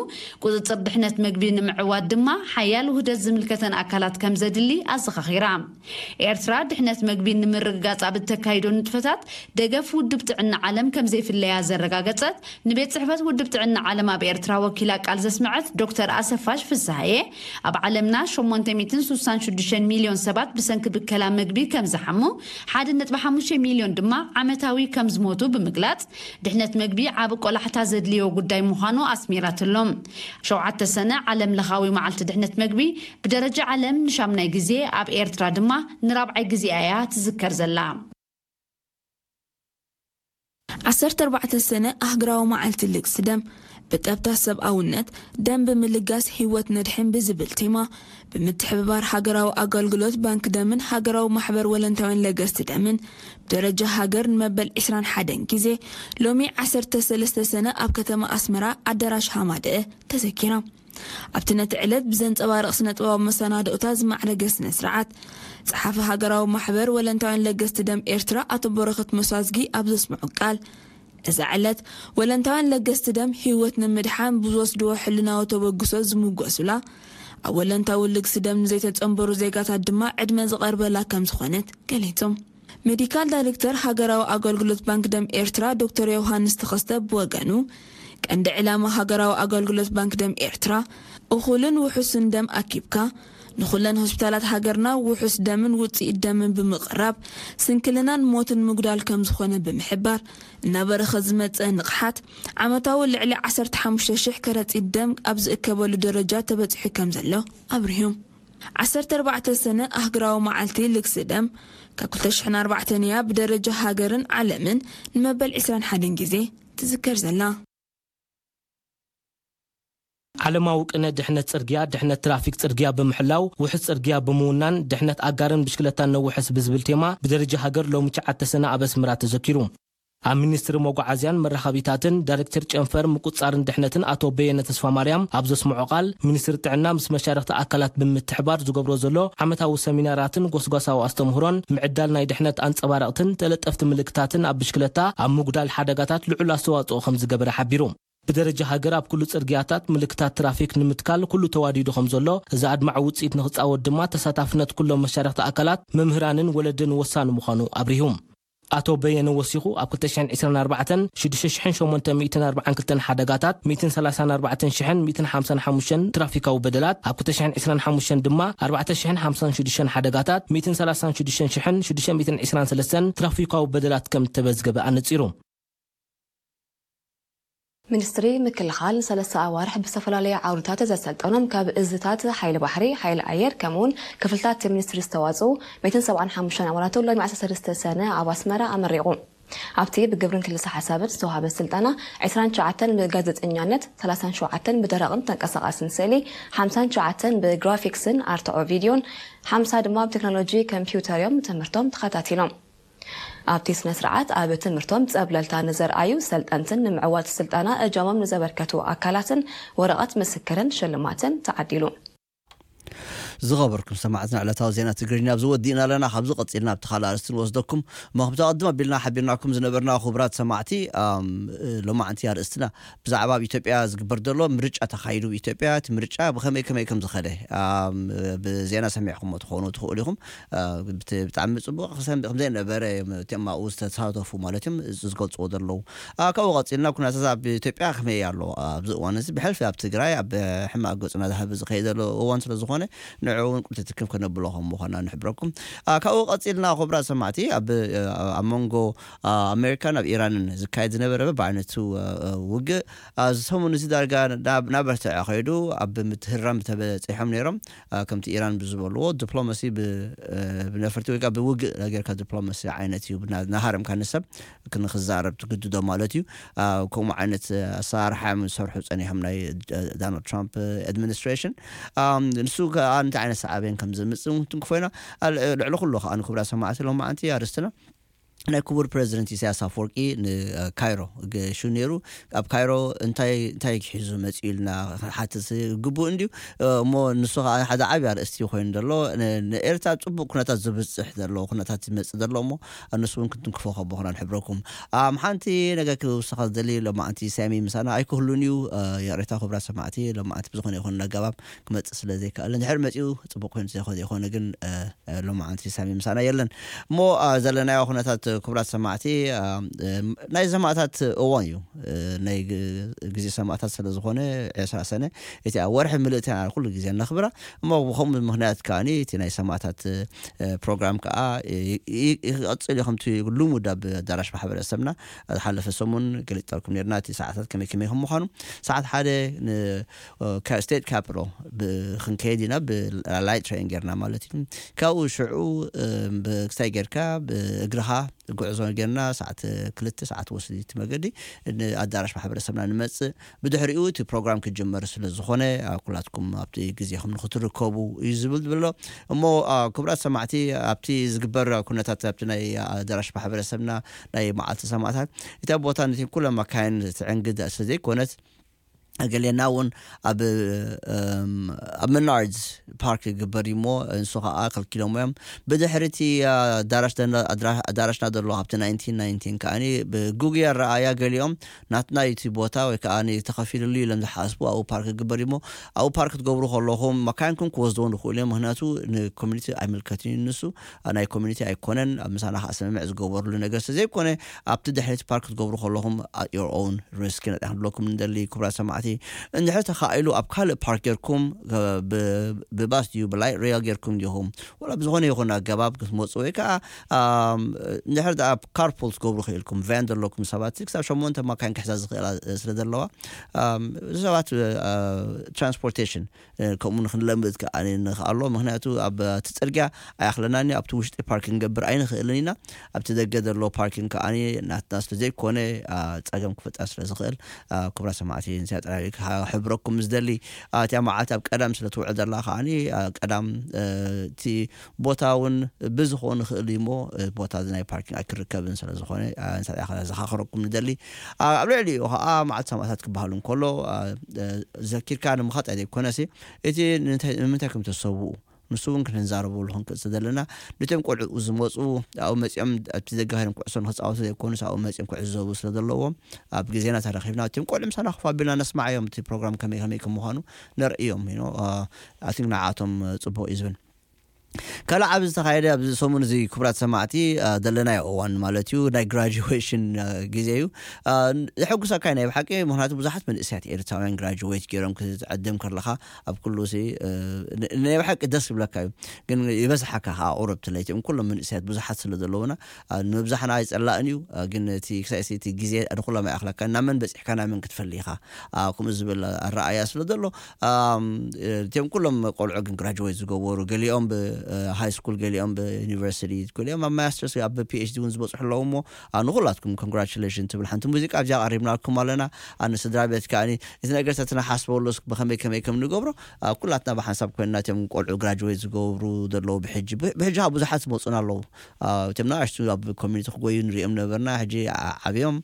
ቁጽጽር ድሕነት መግቢ ንምዕዋት ድማ ሓያል ውህደት ዝምልከተን ኣካላት ከም ዘድሊ ኣዘኻኺራ። ኤርትራ ድሕነት መግቢ ንምርግጋጽ ኣብ እተካይዶ ንጥፈታት ደገፍ ውድብ ጥዕና ዓለም ከም ዘይፍለያ ዘረጋገጸት ንቤት ጽሕፈት ውድብ ጥዕና ዓለም ኣብ ኤርትራ ወኪላ ቃል ዘስመዐት ዶክተር ኣሰፋሽ ፍስሃየ፣ ኣብ ዓለምና ሸሞንተ ሚእትን ሱሳን ሽዱሽተ ሚልዮን ሰባት ብሰንኪ ብከላ መግቢ ከም ዝሓሙ፣ ሓደ ነጥቢ ሓሙሽተ ሚልዮን ድማ ዓመታዊ ከም ዝሞቱ ብምግላጽ፣ ድሕነት መግቢ ዓቢ ቆላሕታ ዘድልዮ ጉዳይ ምዃኑ ኣስሚራትሎም። ሸውዓተ ሰነ ዓለም ለኻዊ መዓልቲ ድሕነት መግቢ ብደረጃ ዓለም ንሻምናይ ግዜ፣ ኣብ ኤርትራ ድማ ንራብዓይ ግዜኣ እያ ትዝከር ዘላ። ዓሰርተ ኣርባዕተ ሰነ ኣህግራዊ መዓልቲ ልግሲ ደም። ብጠብታ ሰብኣውነት ደም ብምልጋስ ህይወት ነድሕን ብዝብል ቴማ ብምትሕብባር ሃገራዊ ኣገልግሎት ባንክ ደምን ሃገራዊ ማሕበር ወለንታውያን ለገስቲ ደምን ብደረጃ ሃገር ንመበል ዕስራን ሓደን ግዜ ሎሚ ዓሰርተ ሰለስተ ሰነ ኣብ ከተማ ኣስመራ ኣዳራሽ ሃማደአ ተዘኪራ። ኣብቲ ነቲ ዕለት ብዘንጸባርቕ ስነጥበባዊ መሰናድኦታት ዝማዕረገ ስነ ስርዓት ጸሓፊ ሃገራዊ ማሕበር ወለንታውያን ለገስቲ ደም ኤርትራ ኣቶ በረኸት መሳዝጊ ኣብ ዘስምዑ ቃል፣ እዛ ዕለት ወለንታውያን ለገስቲ ደም ህይወት ንምድሓን ብዝወስድዎ ሕልናዊ ተበግሶ ዝምጎሱላ፣ ኣብ ወለንታዊ ልግሲ ደም ንዘይተጸንበሩ ዜጋታት ድማ ዕድመ ዝቐርበላ ከም ዝኾነት ገሊጾም። ሜዲካል ዳይሬክተር ሃገራዊ ኣገልግሎት ባንክ ደም ኤርትራ ዶክተር ዮሃንስ ተኸስተ ብወገኑ፣ ቀንዲ ዕላማ ሃገራዊ ኣገልግሎት ባንክ ደም ኤርትራ እኹልን ውሑስን ደም ኣኪብካ ንኹለን ሆስፒታላት ሃገርና ውሑስ ደምን ውጽኢት ደምን ብምቕራብ ስንክልናን ሞትን ምጉዳል ከም ዝኾነ ብምሕባር፣ እናበረኸ ዝመጸ ንቕሓት ዓመታዊ ልዕሊ ዓሰርተ ሓሙሽተ ሽሕ ከረጺት ደም ኣብ ዝእከበሉ ደረጃ ተበጺሑ ከም ዘሎ ኣብሪሁ። ዓሰርተ ኣርባዕተ ሰነ ኣህግራዊ መዓልቲ ልግሲ ደም ካብ ክልተ ሽሕን ኣርባዕተን እያ ብደረጃ ሃገርን ዓለምን ንመበል ዕስራን ሓደን ግዜ ትዝከር ዘላ። ዓለማዊ ቅነ ድሕነት ጽርግያ ድሕነት ትራፊክ ጽርግያ ብምሕላው ውሕስ ጽርግያ ብምውናን ድሕነት ኣጋርን ብሽክለታን ነውሕስ ብዝብል ቴማ ብደረጃ ሃገር ሎሚ ትሽዓተ ሰነ ኣብ ኣስመራ ተዘኪሩ። ኣብ ሚኒስትሪ መጓዓዝያን መራኸቢታትን ዳይሬክተር ጨንፈር ምቁጽጻርን ድሕነትን ኣቶ በየነ ተስፋማርያም ኣብ ዘስምዖ ቃል፣ ሚኒስትሪ ጥዕና ምስ መሻርኽቲ ኣካላት ብምትሕባር ዝገብሮ ዘሎ ዓመታዊ ሰሚናራትን ጎስጓሳዊ ኣስተምህሮን ምዕዳል ናይ ድሕነት ኣንጸባረቕትን ተለጠፍቲ ምልክታትን ኣብ ብሽክለታ ኣብ ምጉዳል ሓደጋታት ልዑል ኣስተዋጽኦ ከም ዝገበረ ሓቢሩ። ብደረጃ ሃገር ኣብ ኩሉ ጽርግያታት ምልክታት ትራፊክ ንምትካል ኩሉ ተዋዲዱ ከም ዘሎ፣ እዚ ኣድማዒ ውጽኢት ንኽጻወት ድማ ተሳታፍነት ኩሎም መሻርኽቲ ኣካላት፣ መምህራንን ወለድን ወሳኒ ምዃኑ ኣብሪሁ። ኣቶ በየነ ወሲኹ፣ ኣብ ክልተ ሽሕን ዕስራን ኣርባዕተን ሽዱሽተ ሽሕን ሸሞንተ ሚእትን ኣርባዓን ክልተን ሓደጋታት፣ ሚእትን ሰላሳን ኣርባዕተን ሽሕን ሚእትን ሓምሳን ሓሙሽተን ትራፊካዊ በደላት፣ ኣብ ክልተ ሽሕን ዕስራን ሓሙሽተን ድማ ኣርባዕተ ሽሕን ሓምሳን ሽዱሽተን ሓደጋታት፣ ሚእትን ሰላሳን ሽዱሽተን ሽሕን ሽዱሽተ ሚእትን ዕስራን ሰለስተን ትራፊካዊ በደላት ከም እተመዝገበ ኣነጺሩ። ሚኒስትሪ ምክልኻል ንሰለስተ ኣዋርሕ ብዝተፈላለዩ ዓውድታት ዘሰልጠኖም ካብ እዝታት ሓይሊ ባሕሪ፣ ሓይሊ ኣየር ከምኡውን ክፍልታት ሚኒስትሪ ዝተዋፅኡ ሚእትን ሰብዓን ሓሙሽተን ኣባላቱ ሎሚ ዓሰርተ ሰለስተ ሰነ ኣብ ኣስመራ ኣመሪቑ። ኣብቲ ብግብርን ክልሰ ሓሳብን ዝተዋሃበ ስልጠና ዕስራን ትሽዓተን ብጋዜጠኛነት፣ ሰላሳን ሸውዓተን ብደረቕን ተንቀሳቓስን ስእሊ፣ ሓምሳን ትሽዓተን ብግራፊክስን ኣርትዖ ቪድዮን፣ ሓምሳ ድማ ብቴክኖሎጂ ኮምፒውተር እዮም ትምህርቶም ተኸታቲሎም። ኣብቲ ስነ ስርዓት ኣብ ትምህርቶም ጸብለልታ ንዘርኣዩ ሰልጠንትን ንምዕዋት ስልጠና እጃሞም ንዘበርከቱ ኣካላትን ወረቐት ምስክርን ሽልማትን ተዓዲሉ። ዝኸበርኩም ሰማዕትና፣ ዕለታዊ ዜና ትግርኛ ኣብዚ ወዲእና ኣለና። ካብዚ ቀጺልና ኣብቲ ካልእ ኣርእስቲ ንወስደኩም። እሞ ከምቲ ኣቐድም ኣቢልና ሓቢርናኩም ዝነበርና ክቡራት ሰማዕቲ፣ ኣም፣ ሎማዕንቲ ኣርእስትና ብዛዕባ ኣብ ኢትዮጵያ ዝግበር ዘሎ ምርጫ ተኻይዱ፣ ኢትዮጵያ እቲ ምርጫ ብኸመይ ከመይ ከም ዝኸደ፣ ኣም፣ ብዜና ሰሚዕኩሞ ትኾኑ ትኽእሉ ኢኹም። ኣ፣ ብት-፣ ብጣዕሚ ጽቡቕ ክሰም-፣ ከም ዘይነበረ እዮም እቶም ኣብኡ ዝተሳተፉ ማለት እዮም ዝ-፣ ዝገልጽዎ ዘለዉ። ኣ፣ ካብኡ ቀጺልና ኩነታት ኣብ ኢትዮጵያ ከመይ ኣሎ? ኣብዚ እዋን እዚ ብሕልፊ ኣብ ትግራይ ኣብ ሕማቕ ገጹ እናዛህበ ዝኸይድ ዘሎ እዋን ስለ ዝኾነ፣ ንዑ እውን ቁልቲ ትክም ከነብሎ ከም ምዃና ንሕብረኩም። ኣ፣ ካብኡ ቀጺልና ክቡራት ሰማዕቲ ኣብ፣ ኣብ መንጎ፣ ኣ፣ ኣሜሪካን ኣብ ኢራንን ዝካየድ ዝነበረ በብዓይነቱ፣ ኣ፣ ኣ፣ ውግእ፣ ኣ፣ እዚ ሰሙን እዚ ዳርጋ ናብ፣ ናብ በርትዐ ከይዱ ኣብ ምትህራም ተበጺሖም ነይሮም። ኣ፣ ከምቲ ኢራን ብዝበልዎ ዲፕሎማሲ ብ-፣ እ፣ ብነፈርቲ ወይ ከዓ ብውግእ ጌርካ ዲፕሎማሲ ዓይነት እዩ ብና-፣ እናሃረምካ ንሰብ ክንክዛረብ ትግድዶ ማለት እዩ። ኣ፣ ከምኡ ዓይነት ኣሰራርሓ እዮም ዝሰርሑ ጸኒሖም ናይ፣ እ፣ ዶናልድ ትራምፕ ኣድሚኒስትሬሽን። ኣም፣ ንሱ ከዓ እንታይ ዓይነት ሳዕቤን ከም ዘምጽእ እውን ትንክፎ ኢና። ኣ፣ ል-፣ ልዕሊ ኩሉ ከዓ ንክቡራት ሰማዕቲ ሎማዓንቲ ኣርእስትና ናይ ክቡር ፕረዚደንት ኢሳያስ ኣፈወርቂ ንካይሮ ገሹ ነይሩ። ኣብ ካይሮ እንታይ፣ እንታይ ሒዙ መጺኡ ኢልና ክንሓትት ግቡእ እንድዩ። እሞ ንሱ ኸዓ ሓደ ዓብዪ ኣርእስቲ ኮይኑ ዘሎ፣ ን-፣ ንኤርትራ ኣብ ጽቡቕ ኩነታት ዝብጽሕ ዘሎ ኩነታት ይመጽእ ዘሎ እሞ፣ ንሱ እውን ክንትንክፎ ከም ምዃና ንሕብረኩም። ኣም፣ ሓንቲ ነገር ክውስኻ ዝደሊ፣ ሎማዓንቲ ሳሚ ምሳና ኣይክህሉን እዩ። እ፣ ይቕሬታ ክቡራት ሰማዕቲ፣ ሎማዓንቲ ብዝኾነ ይኹን ኣገባብ ክመጽእ ስለ ዘይከኣለ፣ እንድሕር መጺኡ ጽቡቕ ኮይኑ ተዘይኮ-፣ ዘይኮነ ግን፣ እ፣ ሎማዓንቲ ሳሚ ምሳና የለን። እሞ፣ ኣ፣ ዘለናዮ ኩነታት ክቡራት ሰማዕቲ፣ ኣ፣ እ፣ ናይ ሰማእታት እዋን እዩ። እ፣ ናይ ግ-፣ ግዜ ሰማእታት ስለ ዝኾነ ዕስራ ሰነ እቲ ኣብ ወርሒ ምልእቲ ኢና ኩሉ ግዜ እነኽብራ። እሞ ብኸምኡ ምኽንያት ከኣኒ እቲ ናይ ሰማእታት፣ እ፣ ፕሮግራም ከኣ ይ-፣ ይ-፣ ይቐጽል እዩ። ከምቲ ልሙድ ኣብ ኣዳራሽ ማሕበረሰብና ዝሓለፈ ሰሙን ገሊጽ ጠርኩም ነርና እቲ ሰዓታት ከመይ ከመይ ከም ምዃኑ። ሰዓት ሓደ ን-፣ እ፣ ካ-፣ ስቴት ካፒታል ብ-፣ ክንከይድ ኢና ብላይት ትሬን ጌርና ማለት እዩ። ካብኡ ሽዑ፣ እ፣ ብ-፣ ክስታይ ጌርካ ብእግርኻ ጉዕዞ ጌርና ሰዓት ክልተ ሰዓት ወስድ እቲ መገዲ ንኣዳራሽ ማሕበረሰብና ንመፅእ። ብድሕሪኡ እቲ ፕሮግራም ክጅመር ስለ ዝኾነ ኩላትኩም ኣብቲ ግዜኹም ንክትርከቡ እዩ ዝብል ዝብሎ። እሞ ክቡራት ሰማዕቲ፣ ኣብቲ ዝግበር ኩነታት ኣብቲ ናይ ኣዳራሽ ማሕበረሰብና ናይ መዓልቲ ሰማዕታት እታ ቦታ ነቲ ኩለ መካይን ትዕንግድ ስለ ዘይኮነት፣ ገሌና እውን ኣብ ኣብ መናርድስ ፓርክ ይግበር እዩ እሞ፣ ንሱ ከዓ ከልኪሎም እዮም። ብድሕሪ እቲ ኣዳራሽና ዘሎ ኣብቲ ናይንቲን ናይንቲን ከዓ ብጉግያ ረኣያ ገሊኦም ናትና እቲ ቦታ ወይ ከዓ ተኸፊልሉ ኢሎም ዝሓስቡ ኣብኡ ፓርክ ይግበር እዩ እሞ፣ ኣብኡ ፓርክ ክትገብሩ ከለኹም መካይንኩም ክወስድዎ ንኽእሉ እዮም። ምክንያቱ ንኮሚኒቲ ኣይምልከትን እዩ ንሱ፣ ናይ ኮሚኒቲ ኣይኮነን። ኣብ ምሳና ከዓ ስምምዕ ዝገበርሉ ነገር ስለ ዘይኮነ፣ ኣብቲ ድሕሪት ፓርክ ክትገብሩ ከለኹም at your own risk ኢና ክንብለኩም ንደሊ። ክቡራት ሰማዕቲ፣ እንድሕር ተኻኢሉ ኣብ ካልእ ፓርክ ጌርኩም ብባስ ድዩ ብላይት ሬል ጌርኩም ዲኹም ወላ ብዝኾነ ይኹን ኣገባብ ክትመፁ ወይ ከዓ እንድሕር ኣብ ካርፑል ትገብሩ ክኢልኩም፣ ቫን ዘለኩም ሰባት ክሳብ ሸሞንተ ማካይን ክሕዛ ዝኽእላ ስለ ዘለዋ፣ ሰባት ትራንስፖርቴሽን ከምኡ ንክንለምድ ከዓ ንኽኣሎ። ምክንያቱ ኣብ እቲ ፅርግያ ኣይኣኽለናን እዩ። ኣብቲ ውሽጢ ፓርኪንግ ገብር ኣይንኽእልን ኢና። ኣብቲ ደገ ዘሎ ፓርኪንግ ከዓ ናትና ስለ ዘይኮነ ፀገም ክፍጠር ስለ ዝኽእል፣ ክቡራ ሰማዕቲ፣ ንዚኣ ጥራይ ክሕብረኩም ዝደሊ። እቲያ መዓልቲ ኣብ ቀዳም ስለ ትውዕል ዘላ ከዓ ቀዳም እቲ ቦታ እውን ብዝኾን ይኽእል እዩ እሞ፣ ቦታ ናይ ፓርኪንግ ኣይክርከብን ስለ ዝኾነ፣ ንሳ ዘኻኽረኩም ንደሊ። ኣብ ልዕሊኡ ከዓ መዓልቲ ሰማዕታት ክበሃል እንከሎ፣ ዘኪርካ ንምኻጥ ኣይኮነሲ፣ እቲ ንምንታይ ከም ተሰውኡ ንሱ እውን ክንዛረበሉ ክንክእል ስለ ዘለና፣ ነቶም ቆልዑ ዝመፁ ኣብኡ መፂኦም ኣብቲ ዘጋህርም ኩዕሶ ንክፃወቱ ዘይኮኑስ ኣብኡ መፂኦም ክዕዘቡ ስለ ዘለዎም፣ ኣብ ግዜና ተረኺብና እቶም ቆልዑ ምሳና ክፍ ኣቢልና ነስማዓዮም፣ እቲ ፕሮግራም ከመይ ከመይ ከም ምዃኑ ነርእዮም። I think ንዓቶም ፅቡቅ እዩ ዝብል። ካልእ ዓብ ዝተኻየደ ኣብዚ ሰሙን እዚ ክቡራት ሰማዕቲ፣ ዘለናዮ እዋን ማለት እዩ፣ ናይ ግራጁዌሽን ግዜ እዩ። ዘሐጉሰካ ናይ ብሓቂ፣ ምክንያቱ ብዙሓት መንእሰያት ኤርትራውያን ግራጁዌት ገይሮም ክትዕድም ከለኻ ኣብ ኩሉ ሲ ናይ ብሓቂ ደስ ይብለካ እዩ። ግን ይበዝሓካ ከዓ ቁሩብ ትለይቲኦም ኩሎም መንእሰያት ብዙሓት ስለ ዘለውና፣ ንምብዛሕና ኣይጸላእን እዩ። ግን እቲ ክሳይ እቲ ግዜ ንኩሎም ኣይኣኽለካ፣ ናብ መን በጺሕካ ናብ መን ክትፈሊ ኢኻ። ከምኡ ዝብል ኣረኣያ ስለ ዘሎ፣ እቲኦም ኩሎም ቆልዑ ግን ግራጅዌት ዝገበሩ፣ ገሊኦም ብሃይ ስኩል፣ ገሊኦም ብዩኒቨርሲቲ፣ ገሊኦም ኣብ ማስተርስ፣ ኣብ ፒኤችዲ እውን ዝበፅሑ ኣለዉ። እሞ ንኩላትኩም ኮንግራቹሌሽን ትብል ሓንቲ ሙዚቃ ኣብዚኣ ቀሪብናልኩም ኣለና። ኣነ ስድራ ቤት ከዓኒ እቲ ነገር ተትናሓስበሉ ብኸመይ ከመይ ከም ንገብሮ፣ ኩላትና ብሓንሳብ ኮይንና እቲኦም ቆልዑ ግራጅዌት ዝገብሩ ዘለዉ ብሕጂ፣ ብሕጂ ብዙሓት ዝመፁና ኣለዉ። እቶም ንኣሽቱ ኣብ ኮሚኒቲ ክጎዩ ንሪኦም ነበርና፣ ሕጂ ዓብዮም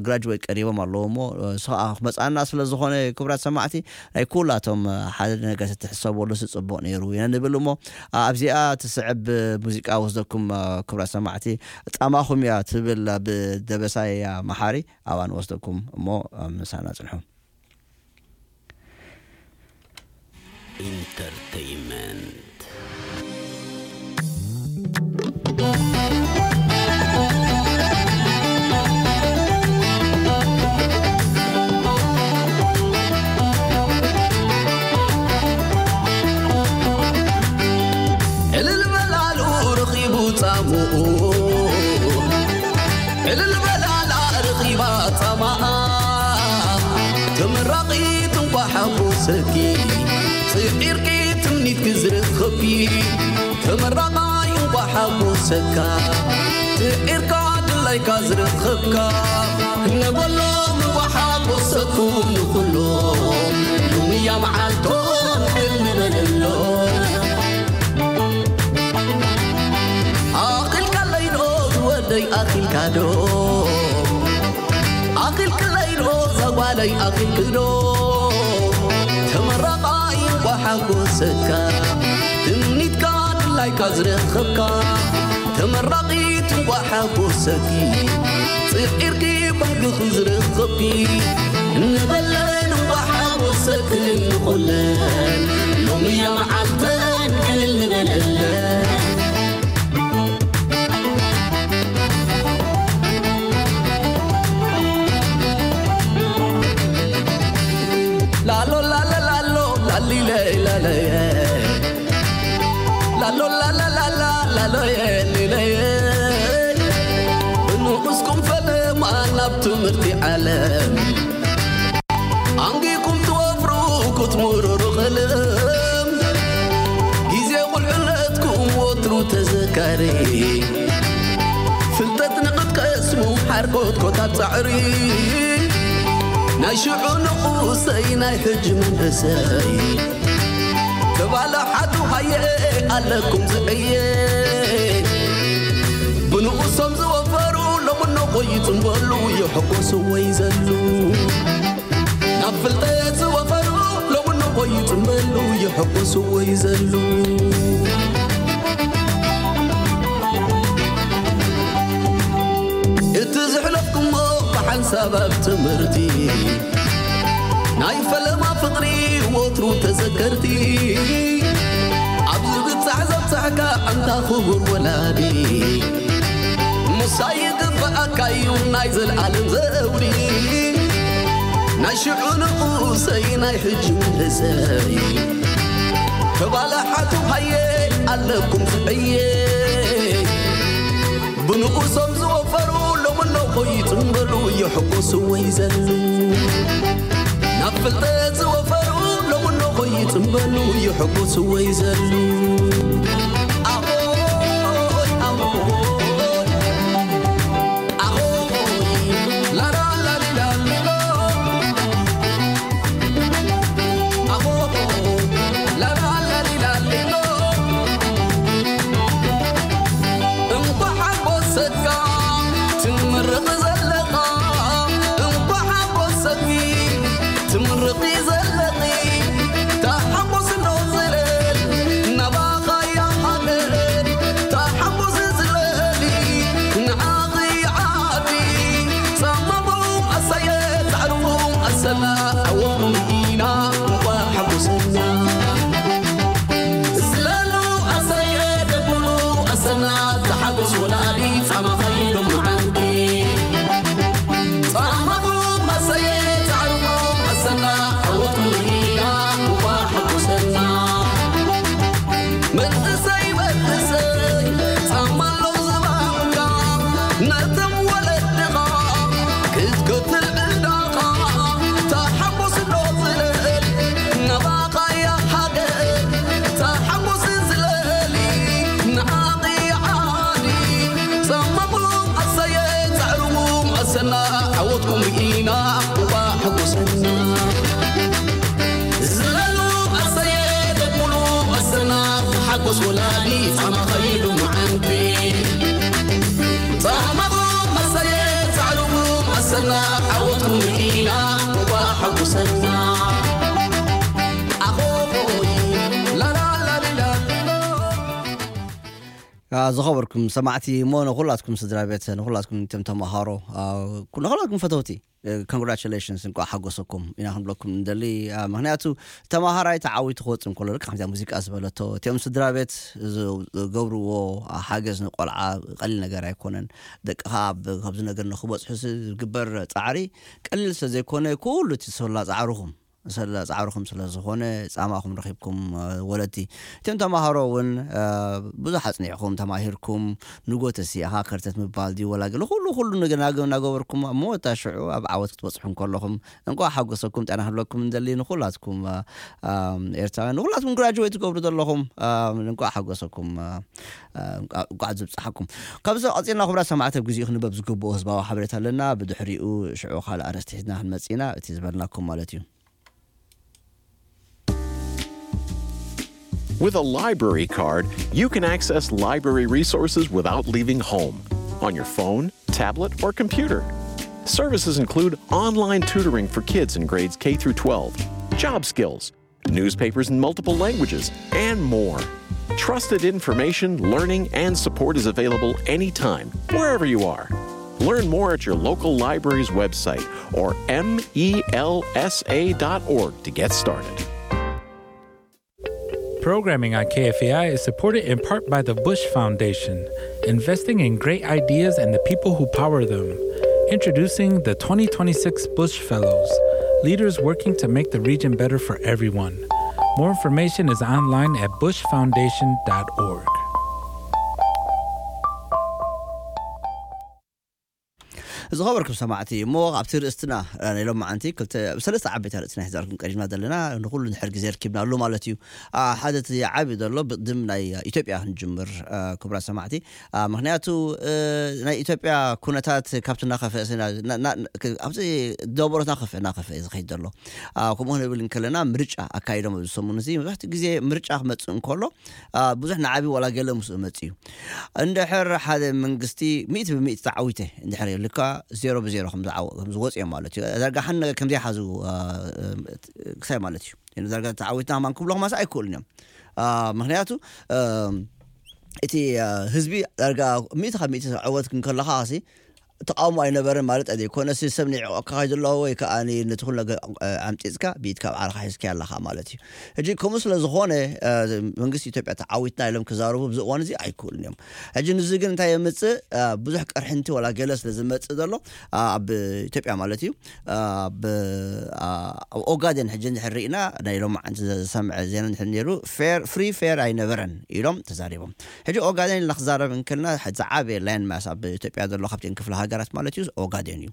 ግራጅዌት ቀሪቦም ኣለዉ። እሞ ንሱ ከዓ ክመፅኣና ስለ ዝኾነ፣ ክቡራት ሰማዕቲ፣ ናይ ኩላቶም ሓደ ነገር ተትሕሰበሉ ጽቡቕ ነይሩ ኢና ንብል። እሞ ኣብዚኣ ትስዕብ ሙዚቃ ወስደኩም፣ ክቡራት ሰማዕቲ፣ ጻማኹም እያ ትብል ብደበሳይ መሓሪ፣ ኣብኣ ንወስደኩም እሞ ምሳና ጽንሑ። ኢንተርተይመንት። ዕልል በላሉ ረኺቡ ጻምኡ፣ ዕልል በላላ ረኺባ ጻማኣ። ተመራቒት እንኳ ሓጎሰኪ፣ ጽዒርኪ ትምኒትኪ ዝረኸብኪ። ተመራቓይ እንኳ ሓጎሰካ፣ ጽዒርካ ድላይካ ዝረኸብካ። ነበሎም እንኳ ሓጎሰኩም ንኹሎም፣ ሎምያ መዓልቶም ዕልል ንበለሎም። ኣኺልካለይ ዶ ዝወደይ፣ ኣኺልካ ዶ? ኣኺልክለይ ዶ ዛጓለይ፣ ኣኺልክ ዶ? ተመራቓይ እንኳ ሓጎሰካ፣ ትምኒትካ ድላይካ ዝረኸብካ። ተመራቒት እንኳ ሓጎሰኪ፣ ጽዒርኪ ባህግኺ ዝረኸብኪ። ንበለን እንኳ ሓጎሰክን ንኹለን፣ ሎምያ መዓልተን ዕልል ንበለለን። ላሎ ላለ ላሎ ላሊለ ላለየ፣ ላሎ ላለ ላላ ላሎየ ሊለየ። ብንኡስኩም ፈለማ ናብ ትምህርቲ ዓለም፣ ኣንጊኩም ትወፍሩ ክትምርሩ ኸልም። ግዜ ቁልዕነትኩም ወትሩ ተዘካሪ፣ ፍልጠት ኮታት ጻዕሪ ናይ ሽዑ ንቑሰይ ናይ ሕጂ መንእሰይ ተባላሓቱ ሃየ ኣለኩም ዝዕየ ብንኡሶም ዝወፈሩ ሎምኖ ቆይጽምበሉ ይሕጎሱ ወይ ዘሉ ናብ ፍልጠት ዝወፈሩ ሎምኖ ቆይጽምበሉ ይሕጎሱ ወይ ዘሉ እቲ ዝሕለፍኩሞ ብሓንሳብ ኣብ ትምህርቲ ናይ ፈለማ ፍቕሪ ወትሩ ተዘከርቲ ኣብዚ ብጻሕ ዘብጻሕካ ኣንታ ክቡር ወላዲ ሙሳ ይግብኣካ እዩ ናይ ዘልኣለም ዘውዲ ናይ ሽዑ ንኡሰይ ናይ ሕጂ መንእሰይ ተባላሓቱ ሃየ ኣለኩም ዝዕየ ብንኡሶም ዝወፈሩ ሎምኖ ኮይጽምበሉ ይሕጎሱ ወይ ዘሉ ናብ ፍልጠት ዝወፈሩ ሎምኖ ኮይጽምበሉ ይሕጎሱ ወይ ዘሉ ኣሆይ ኣሆይ ኣሆይ ላላላሊላሊሎ ኣሆ ላላላሊላሊሎ እንኳ ሓጎሰካ ትምርቕ ዘለኻ እንኳ ሓጎሰኪ ትምርቒ ዘለኺ ታሓጎስ ዶ ዝለል ናባኻያ ሃገር ታሓጎስ ዝለሊ ንዓኺ ዓዲ ጻማኹም ኣሳየ ጻዕርኹም ኣሰና ኣወኹም ኢና እንኳ ሓጎሰና ዝለሉ ኣሳየ ደጉሉ ኣሰና ተሓጎስ ወላዲ ጻማኸይ ሎምዓንቲ ጻማኹም ኣሳየ ጻዕርኹም ኣሰና ኣወኹም ኢና እንኳ ሓጎሰና መንእሰይ መንእሰይ ጻማ ኣሎ ዝባንካ ነቶም ወለድኻ ክትከፍል ዕዳኻ ተሓጎስ ዶ ዝለል ናባኻ እያ ሃገር ተሓጎስ ዝለሊ ንዓኺ ዓዲ ጻማኹም ኣሳየ ጻዕርኹም ኣሰና ዓወትኩም ርኢና እንኳ ሓጎሰና ዝለሉ ኣሰየ ደጉሉ ኣሰና ሓጎስ ወላዲ ጻማ ኸይዱ መዓንቲ ጻማኹም ኣሰየ ጻዕርኹም ኣሰና ዓወትኩም ርኢና እንኳ ሓጎሰና ኣኾይ ላላላሊላሊሎ ዝኸበርኩም ሰማዕቲ እሞ ንኩላትኩም ስድራ ቤት ንኩላትኩም እቶም ተምሃሮ ንኩላትኩም ፈተውቲ congratulations እንቋዕ ሓጎሰኩም ኢና ክንብለኩም እንደሊ ምክንያቱ ተማሃራይ ተዓዊቱ ክወፅእ እንከሎ ልክዕ ከምዚኣ ሙዚቃ ዝበለቶ እቲኦም ስድራ ቤት ዝገብርዎ ሓገዝ ንቆልዓ ቀሊል ነገር ኣይኮነን ደቅኻ ኣብዚ ነገር ንክበፅሑ ዝግበር ፃዕሪ ቀሊል ስለዘይኮነ ኩሉ እቲ ዝሰላ ፃዕርኹም ሰለ ጻዕርኹም ስለ ዝኾነ ጻማኹም ረኺብኩም ወለድቲ እቶም ተማሃሮ እውን ብዙሕ ኣጽኒዕኹም ተማሂርኩም ንጎ ተሲእኻ ከርተት ምባል ድዩ ወላ ገለ ኩሉ ኩሉ እናገበርኩም ኣብ መወታ ሽዑ ኣብ ዓወት ክትበጽሑ እንከለኹም እንቋዕ ሓጎሰኩም ጤና ክብለኩም እንደሊ ንኩላትኩም ኤርትራውያን ንኩላትኩም ግራጅዌት ትገብሩ ዘለኹም እንቋዕ ሓጎሰኩም እንቋዕ ዝብፅሓኩም ካብዚ ቀፂልና ክቡራት ሰማዕቲ ኣብ ግዜኡ ክንበብ ዝግብኦ ህዝባዊ ሓበሬታ ኣለና ብድሕሪኡ ሽዑ ካልእ ኣርእስቲ ሒዝና ክንመፅእ ኢና እቲ ዝበልናኩም ማለት እዩ With a library card, you can access library resources without leaving home on your phone, tablet, or computer. Services include online tutoring for kids in grades K through twelve, job skills, newspapers in multiple languages, and more. Trusted information, learning, and support is available anytime, wherever you are. Learn more at your local library's website or M E L S A dot org to get started. Programming on K F A I is supported in part by the Bush Foundation, investing in great ideas and the people who power them. Introducing the twenty twenty-six Bush Fellows, leaders working to make the region better for everyone. More information is online at bush foundation dot org. ዝኸበርኩም ሰማዕቲ፣ እሞ ኣብቲ ርእስትና፣ እ፣ ናይ ሎማዓንቲ ክልተ፣ ሰለስተ ዓበይቲ ርእስትና ሒዛልኩም ቀሪብና ዘለና፣ ንኹሉ ድሕር ግዜ ርኪብናሉ ማለት እዩ። አ፣ ሓደ እቲ ዓቢ ዘሎ ብቕድም ናይ ኢትዮጵያ ክንጅምር፣ እ፣ ክቡራት ሰማዕቲ። አ፣ ምኽንያቱ፣ እ፣ ናይ ኢትዮጵያ ኩነታት ካብቲ እናኸፍአ ስና-፣ ና-፣ ና-፣ ክ-፣ ኣብዚ ደበሮት እናኸፍአ፣ እናኸፍአ እዩ ዝኸይድ ዘሎ። አ፣ ከምኡ ክንብል እንከለና ምርጫ ኣካይዶም ኣብዚ ሰሙን እዚ። መብዛሕትኡ ግዜ ምርጫ ክመጽእ እንከሎ፣ አ፣ ብዙሕ ንዓቢ ዋላ ገለ ምስኡ መጽእ እዩ። እንድሕር ሓደ መንግስቲ ሚእቲ ብሚእቲ ተዓዊተ እንድሕር የብልካ፣ ዜሮ ብዜሮ ከም ዝዓወ-፣ ከም ዝወጽእ እዮም ማለት እዩ። ዳርጋ ሓን ነገር ከም ዘይሓዙ፣ አ፣ ክሳይ ማለት እዩ። ዳርጋ ተዓዊትና ከማን ክብሎ ከማሳ ኣይክእሉን እዮም። አ፣ ምኽንያቱ፣ እ፣ እቲ፣ እ፣ ህዝቢ ዳርጋ ሚእቲ ካብ ሚእቲ ዕወት ክንከለኻ ሲ ተቃውሞ ኣይነበረን ማለት ኣይኮነ። ሲ ሰብ ንዕቆካ ከይደሎ ወይ ከኣ ነቲ ኩሉ ነገር፣ እ፣ ኣምጺጽካ ብኢድካ ኣብ ዓርኻ ሒዝካዮ ኣለኻ ማለት እዩ። ሕጂ ከምኡ ስለ ዝኾነ፣ እ፣ መንግስቲ ኢትዮጵያ ተዓዊትና ኢሎም ክዛረቡ ኣብዚ እዋን እዚ ኣይክእሉን እዮም። ሕጂ ንዚ ግን እንታይ የምጽእ? እ፣ ብዙሕ ቅርሕንቲ ወላ ገለ ስለ ዝመጽእ ዘሎ፣ እ፣ ኣብ ኢትዮጵያ ማለት እዩ፣ እ፣ ኣብ፣ እ፣ ኣብ ኦጋዴን ሕጂ እንድሕር ርኢና ናይ ሎማዓንቲ ዝሰምዐ ዜና እንድሕር ነይሩ፣ ፌር፣ ፍሪ ፌር ኣይነበረን ኢሎም ተዛሪቦም። ሕጂ ኦጋዴን ኢልና ክዛረብ እንከልና፣ ዝዓበየ ላንድ ማስ ኣብ ኢትዮጵያ ዘሎ ካብተን ክፍለ ሃገራት ማለት እዩ፣ ኦጋዴን እዩ።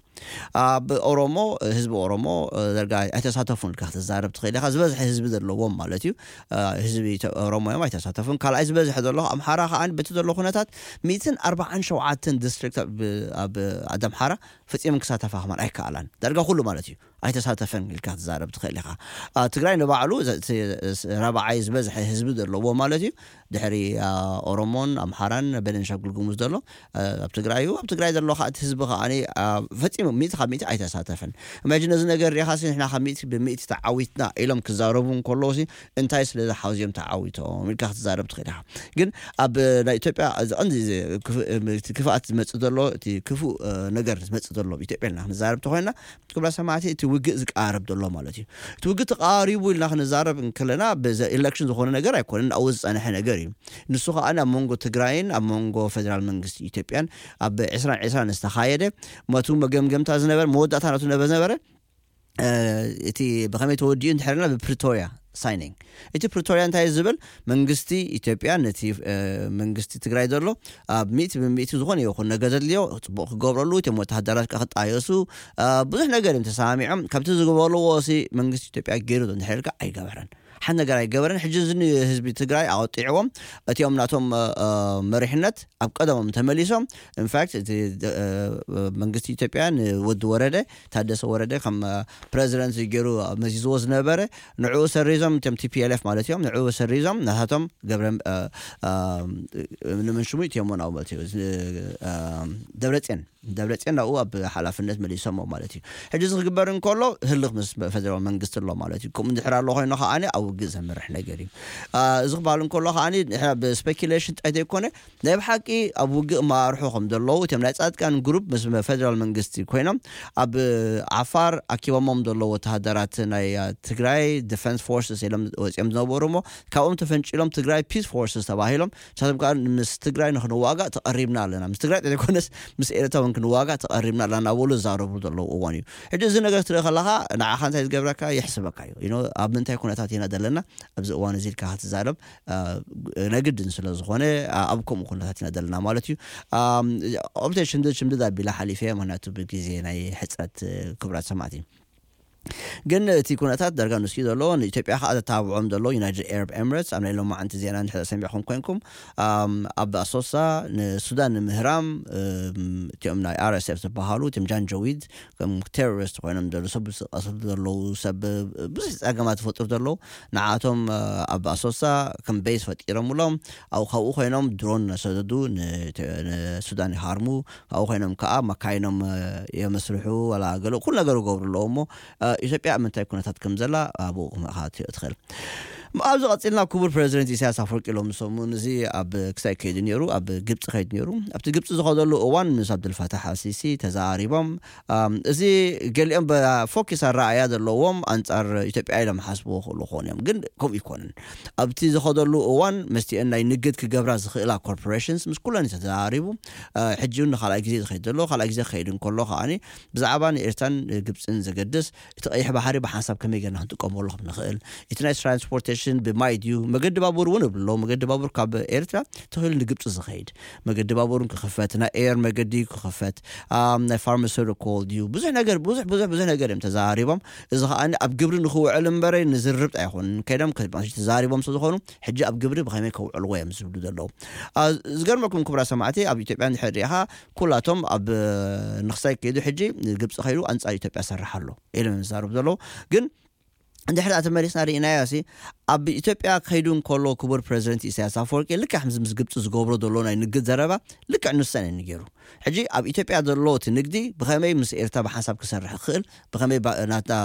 ኣብ ኦሮሞ፣ ህዝቢ ኦሮሞ፣ እ፣ ዳርጋ ኣይተሳተፉን ኢልካ ክትዛረብ ትኽእል ኢኻ። ዝበዝሐ ህዝቢ ዘለዎም ማለት እዩ። እ፣ ህዝቢ ኢትዮ-፣ ኦሮሞ እዮም፣ ኣይተሳተፉን። ካልኣይ ዝበዝሐ ዘሎ ኣምሓራ ከኣ በቲ ዘሎ ኩነታት ሚእትን ኣርባዓን ሸውዓተን ዲስትሪክት ኣብ፣ ኣብ ዓዲ ኣምሓራ ፈጺመን ክሳተፋ ከማን ኣይከኣላን። ዳርጋ ኩሉ ማለት እዩ። ኣይተሳተፈን ኢልካ ክትዛረብ ትኽእል ኢኻ። አ፣ ትግራይ ንባዕሉ ዘ-፣ እቲ ስ-፣ ራብዓይ ዝበዝሐ ህዝቢ ዘለዎ ማለት እዩ። ድሕሪ፣ አ፣ ኦሮሞን ኣምሓራን ቤንሻንጉል ጉሙዝ ዘሎ፣ አ፣ ኣብ ትግራይ እዩ። ኣብ ትግራይ ዘሎ ከዓ እቲ ህዝቢ ከዓኒ፣ አ፣ ፈጺሙ ሚእቲ ካብ ሚእቲ ኣይተሳተፈን። እማጂን ነዚ ነገር ሪኢኻ ሲ ንሕና ካብ ሚእቲ ብሚእቲ ተዓዊትና ኢሎም ክዛረቡ እንከለዉ ሲ እንታይ ስለ ዝሓዙ እዮም ተዓዊቶም ኢልካ ክትዛረብ ትኽእል ኢኻ። ግን ኣብ ናይ ኢትዮጵያ እዚ ቀንዲ እዚ ክፍ-፣ እቲ ክፍኣት ዝመጽእ ዘሎ፣ እቲ ክፉእ፣ እ፣ ነገር ዝመጽእ ዘሎ ኣብ ኢትዮጵያ ኢልና ክንዛረብ ተኾይና፣ ክብራ ሰማዕቲ እቲ ውግእ ዝቃረብ ዘሎ ማለት እዩ። እቲ ውግእ ተቃሪቡ ኢልና ክንዛረብ እንከለና ብዘ-፣ ኤሌክሽን ዝኾነ ነገር ኣይኮነን፣ ኣብኡ ዝጸንሐ ነገር እዩ። ንሱ ከኣ ኣብ መንጎ ትግራይን ኣብ መንጎ ፌደራል መንግስቲ ኢትዮጵያን ኣብ ዕስራን ዕስራን ዝተኻየደ መቱ መገምገምታ ዝነበረ፣ መወዳእታ ናቱ ነበ-፣ ዝነበረ፣ እ፣ እቲ ብኸመይ ተወዲኡ እንድሕር ኢልና ብፕሪቶርያ ሳይኒንግ። እቲ ፕሪቶርያ እንታይ ዝብል? መንግስቲ ኢትዮጵያ ነቲ፣ እ፣ መንግስቲ ትግራይ ዘሎ ኣብ ሚእቲ ብሚእቲ ዝኾነ ይኹን ነገር ዘድልዮ ጽቡቕ ክገብረሉ፣ እቶም ወተሃደራት ከኣ ክጣየሱ፣ እ፣ ብዙሕ ነገር እዮም ተሰማሚዖም። ካብቲ ዝገበርዎ ሲ መንግስቲ ኢትዮጵያ ገይሩ ዶ እንድሕር ኢልካ ኣይገበረን። ሓንቲ ነገር ኣይገበረን። ሕጂ እዚ ንህዝቢ ትግራይ ኣወጢዕዎም፣ እቲኦም ናቶም፣ እ፣ እ፣ መሪሕነት ኣብ ቀደሞም ተመሊሶም። ኢንፋክት እቲ፣ እ፣ እ፣ መንግስቲ ኢትዮጵያ ንወዲ ወረደ፣ ታደሰ ወረደ ከም፣ እ፣ ፕረዚደንት ገይሩ መዚዝዎ ዝነበረ፣ ንዕኡ ሰሪዞም፣ እቶም ቲ ፒ ኤል ኤፍ ማለት እዮም፣ ንዕኡ ሰሪዞም፣ ናታቶም ገብረ፣ እ፣ እ፣ ንመን ሽሙ እቲኦም ናብኡ ማለት እዩ፣ እዚ፣ እ፣ ደብረጽዮን፣ ደብረጽዮን ናብኡ ኣብ ሓላፍነት መሊሶሞ ማለት እዩ። ሕጂ እዚ ክግበር እንከሎ ህልኽ ምስ ፌደራል መንግስቲ ኣሎ ማለት እዩ። ከምኡ እንድሕር ኣሎ ኮይኑ ከዓኒ ኣብ ውግእ ዘምርሕ ነገር እዩ። አ፣ እዚ ክበሃል እንከሎ ከዓኒ ንሕና ብስፔኪሌሽን ጥራይ ዘይኮነ ናይ ብሓቂ ኣብ ውግእ መራርሑ ከም ዘለዉ እቶም ናይ ጻድቃን ግሩፕ ምስ ፌደራል መንግስቲ ኮይኖም ኣብ ዓፋር ኣኪቦሞም ዘለዉ ወተሃደራት ናይ፣ አ፣ ትግራይ ዲፈንስ ፎርስስ ኢሎም ወጺኦም ዝነበሩ እሞ ካብኦም ተፈንጪሎም ትግራይ ፒስ ፎርስስ ተባሂሎም ንሳቶም ከኣ ምስ ትግራይ ንክንዋጋእ ተቐሪብና ኣለና። ምስ ትግራይ ዘይኮነስ ምስ ኤርትራ እውን ክንዋጋእ ተቐሪብና ኣለና እናበሉ ዝዛረቡ ዘለዉ እዋን እዩ። ሕጂ እዚ ነገር ክትርኢ ከለኻ ንዓኻ እንታይ ዝገብረካ? የሕስበካ እዩ። You know፣ ኣብ ምንታይ ኩነታት ኢና ዘለና ኣብዚ እዋን እዚ ኢልካ ክትዛረብ፣ አ፣ ናይ ግድን ስለ ዝኾነ፣ አ፣ ኣብ ከምኡ ኩነታት ኢና ዘለና ማለት እዩ። ኣም፣ ኦብተ ሽምድድ ሽምድድ ኣቢላ ሓሊፈ፣ ምኽንያቱ ብግዜ ናይ ሕጽረት፣ እ፣ ክቡራት ሰማዕቲ። ግን እቲ ኩነታት ዳርጋ ንሱ እዩ ዘሎ። ንኢትዮጵያ ከኣ ዘተባብዖም ዘሎ ዩናይትድ ኤረብ ኤምሬትስ፣ ኣብ ናይ ሎማዓንቲ ዜና እንድሕር ሰሚዕኩም ኮይንኩም፣ ኣም፣ ኣብ ኣሶሳ ንሱዳን ንምህራም፣ እም፣ እቲኦም ናይ ኣር ኤስ ኤፍ ዝበሃሉ፣ እቲኦም ጃንጃዊድ፣ ከም ቴሮሪስት ኮይኖም ዘለዉ ሰብ ዝቐትሉ ዘለዉ፣ ሰብ ብዙሕ ጸገማት ዝፈጥሩ ዘለዉ፣ ንዓቶም፣ እ፣ ኣብ ኣሶሳ ከም ቤዝ ፈጢሮምሎም፣ ኣብ ካብኡ ኮይኖም ድሮን እናሰደዱ ን-፣ ንሱዳን ይሃርሙ። ካብኡ ኮይኖም ከኣ መካይኖም፣ እ፣ የመስርሑ፣ ዋላ ገለ ኩሉ ነገር ይገብሩ ኣለዉ። እሞ፣ እ፣ ኢትዮጵያ ኣብ ምንታይ ኩነታት ከም ዘላ ኣብኡ ክትርኢ ትኽእል። ኣብዚ ቀጺልና ክቡር ፕረዚደንት ኢሳያስ ኣፈወርቂ ሎም ሰሙን እዚ ኣብ ክሳይ ከይዱ ነይሩ፣ ኣብ ግብጺ ከይዱ ነይሩ። ኣብቲ ግብጺ ዝኸደሉ እዋን ምስ ኣብዱልፋታሕ ኣልሲሲ ተዛሪቦም። ኣም፣ እዚ ገሊኦም ብ-፣ ፎኪስ ኣረኣእያ ዘለዎም ኣንጻር ኢትዮጵያ ኢሎም ሓስብዎ ክኽእሉ ክኾኑ እዮም። ግን ከምኡ ኣይኮነን። ኣብቲ ዝኸደሉ እዋን መስቲአን ናይ ንግድ ክገብራ ዝኽእላ ኮርፖሬሽንስ ምስ ኩለን እዩ ተዛሪቡ። እ፣ ሕጂ እውን ንኻልኣይ ግዜ ዝኸይድ ዘሎ፣ ካልኣይ ግዜ ክኸይድ እንከሎ ከኣኒ ብዛዕባ ንኤርትራን ግብጽን ዘገድስ እቲ ቀይሕ ባሕሪ ብሓንሳብ ከመይ ጌርና ክንጥቀመሉ ከም ንኽእል፣ እቲ ናይ ትራንስፖርቴሽን ሽን ብማይ ድዩ? መገዲ ባቡር እውን እብሎ። መገዲ ባቡር ካብ ኤርትራ ተኺሉ ንግብፂ ዝኸይድ መገዲ ባቡር ክኽፈት፣ ናይ ኤር መገዲ ክኽፈት፣ ኣም፣ ናይ ፋርማሲውቲካል ድዩ? ብዙሕ ነገር፣ ብዙሕ፣ ብዙሕ፣ ብዙሕ ነገር እዮም ተዛሪቦም። እዚ ከኣ ኣብ ግብሪ ንኽውዕል እምበረ ንዝርብጥ ኣይኮኑን። ከይዶም ከ-፣ ተዛሪቦም ስለ ዝኾኑ፣ ሕጂ ኣብ ግብሪ ብኸመይ ከውዕልዎ እዮም ዝብሉ ዘለዉ። ኣ፣ ዝገርመኩም ክቡራት ሰማዕቲ፣ ኣብ ኢትዮጵያ እንድሕር ሪኢኻ፣ ኩላቶም ኣብ ንኽሳይ ከይዱ ሕጂ ግብፂ ከይዱ ኣንጻር ኢትዮጵያ ሰርሕ ኣሎ ኢሎም እዮም ዝዛረቡ ዘለዉ። ግን እንድሕር ተመሊስና ርኢናዮ ሲ፣ ኣብ ኢትዮጵያ ከይዱ እንከሎ ክቡር ፕረዚደንት ኢሳያስ ኣፈወርቂ ልክዕ ከምዚ ምስ ግብፂ ዝገብሮ ዘሎ ናይ ንግድ ዘረባ ልክዕ ንሰን እዩ ገይሩ። ሕጂ ኣብ ኢትዮጵያ ዘሎ እቲ ንግዲ ብኸመይ ምስ ኤርትራ ብሓንሳብ ክሰርሕ ክኽእል፣ ብኸመይ ባ-፣ ናትና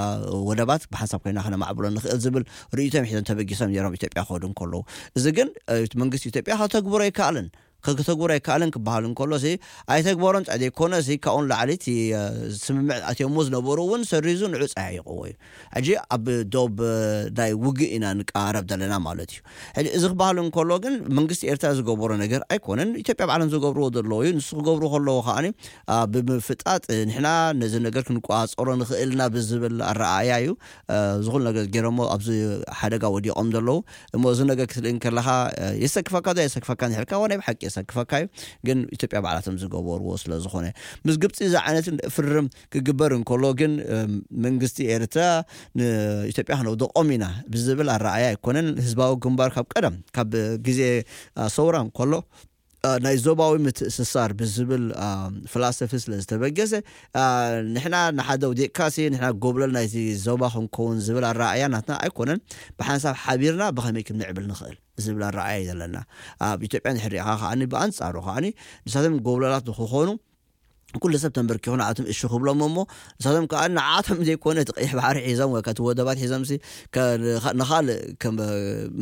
ወደባት ብሓንሳብ ኮይና ክነማዕብሎ ንኽእል ዝብል ርእይቶም ሒዞም ተበጊሶም ነይሮም ኢትዮጵያ ክኸዱ እንከለዉ። እዚ ግን፣ እ፣ መንግስቲ ኢትዮጵያ ከተግብሮ ኣይከኣለን። ከተግብሮ ኣይከኣለን ክበሃል እንከሎ ሲ፣ ኣይተግበሮን ጥራይ ዘይኮነ ሲ፣ ካብኡ ንላዕሊ እቲ፣ እ፣ ስምምዕ ኣትዮሞ ዝነበሩ እውን ሰሪዙ ንዑ ጸያይቕዎ እዩ። ሕጂ ኣብ ዶብ፣ እ፣ ናይ ውግእ ኢና ንቀራረብ ዘለና ማለት እዩ። ሕጂ እዚ ክበሃል እንከሎ ግን መንግስቲ ኤርትራ ዝገበሮ ነገር ኣይኮነን። ኢትዮጵያ ባዕሎም ዝገብርዎ ዘለዉ እዩ። ንሱ ክገብሩ ከለዉ ከኣኒ፣ አ፣ ብምፍጣጥ፣ እ፣ ንሕና ነዚ ነገር ክንቆጻጸሮ ንኽእል ኢና ብዝብል ኣረኣእያ እዩ፣ እ፣ ዝኹሉ ነገር ገይሮሞ ኣብዚ ሓደጋ ወዲቖም ዘለዉ። እሞ እዚ ነገር ክትርኢ እንከለኻ፣ እ፣ የሰክፈካ ዶ የሰክፈካ እንድሕር ኢልካ፣ እወ፣ ናይ ብሓቂ የሰክፈካ እዩ። ግን ኢትዮጵያ ባዕላቶም ዝገበርዎ ስለ ዝኾነ፣ ምስ ግብጺ እዚ ዓይነት ፍርም ክግበር እንከሎ ግን፣ እ፣ መንግስቲ ኤርትራ ንኢትዮጵያ ክነውድቖም ኢና ብዝብል ኣረኣእያ ኣይኮነን። ህዝባዊ ግንባር ካብ ቀደም፣ ካብ ግዜ፣ እ፣ ሰውራ እንከሎ፣ እ፣ ናይ ዞባዊ ምትእስሳር ብዝብል፣ እ፣ ፍላሰፊ ስለ ዝተበገሰ፣ እ፣ ንሕና ንሓደ ውዲቕካሲ ንሕና ጎብለል ናይቲ ዞባ ክንከውን ዝብል ኣረኣእያ ናትና ኣይኮነን። ብሓንሳብ ሓቢርና ብኸመይ ክንምዕብል ንኽእል ዝብል ኣረኣእያ እዩ ዘለና። ኣብ ኢትዮጵያ እንድሕር ሪኢኻ ከኣኒ፣ ብኣንጻሩ ከኣኒ ንሳቶም ጎብለላት ንክኾኑ ኩሉ ሰብ ተንበርኪኹ ንዓቶም እሺ ክብሎም እሞ፣ ንሳቶም ከኣ ንዓቶም ዘይኮነ እቲ ቀይሕ ባሕሪ ሒዞም ወይ ከቲ ወደባት ሒዞምሲ ከ-፣ ንኻ-፣ ንኻልእ ከም፣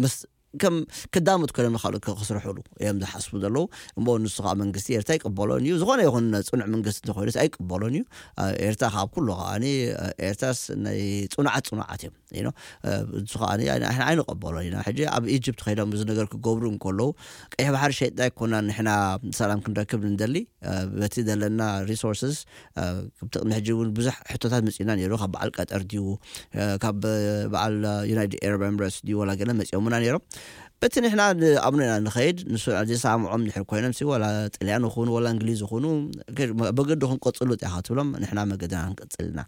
ምስ ከም ክዳመት ኮይኖም ንኻልኦት ከ-፣ ክስርሑሉ እዮም ዝሓስቡ ዘለዉ። እሞ ንሱ ኸዓ መንግስቲ ኤርትራ ኣይቅበሎን እዩ። ዝኾነ ይኹን ጽኑዕ መንግስቲ እንተኾይኑስ ኣይቅበሎን እዩ። ኣ፣ ኤርትራ ካብ ኩሉ ከዓኒ፣ ኣ፣ ኤርትራስ ናይ ጽኑዓት ጽኑዓት እዮም። You know፣ እ፣ ንሱ ከዓኒ ኣይ-፣ ኣይ-፣ ኣይንቐበሎን ኢና። ሕጂ ኣብ ኢጅፕት ከይዶም እዚ ነገር ክገብሩ እንከለዉ፣ ቀይሕ ባሕሪ ሸይጥና ኣይኮናን ንሕና ሰላም ክንረክብ ንደሊ፣ እ፣ በቲ ዘለና ሪሶርስስ፣ እ፣ ክብቲ ቅድሚ ሕጂ እውን ብዙሕ ሕቶታት መጺኡና ነይሩ። ካብ በዓል ቀጠር ድዩ፣ እ፣ ካብ በዓል ዩናይትድ ኤረብ ኤምሬትስ ድዩ፣ ዋላ ገለ መጺኦምና ነይሮም። በቲ ንሕና ንኣምኖ ኢና ንኸይድ፣ ንሱ ዘይሰማምዖም እንድሕር ኮይኖም ሲ፣ ዋላ ጥልያን ይኹኑ፣ ዋላ እንግሊዝ ይኹኑ፣ ከ-፣ መ-፣ መገዲ ክንቀጽሉ ጥያ ትብሎም፣ ንሕና መገድና ክንቀጽል ኢና።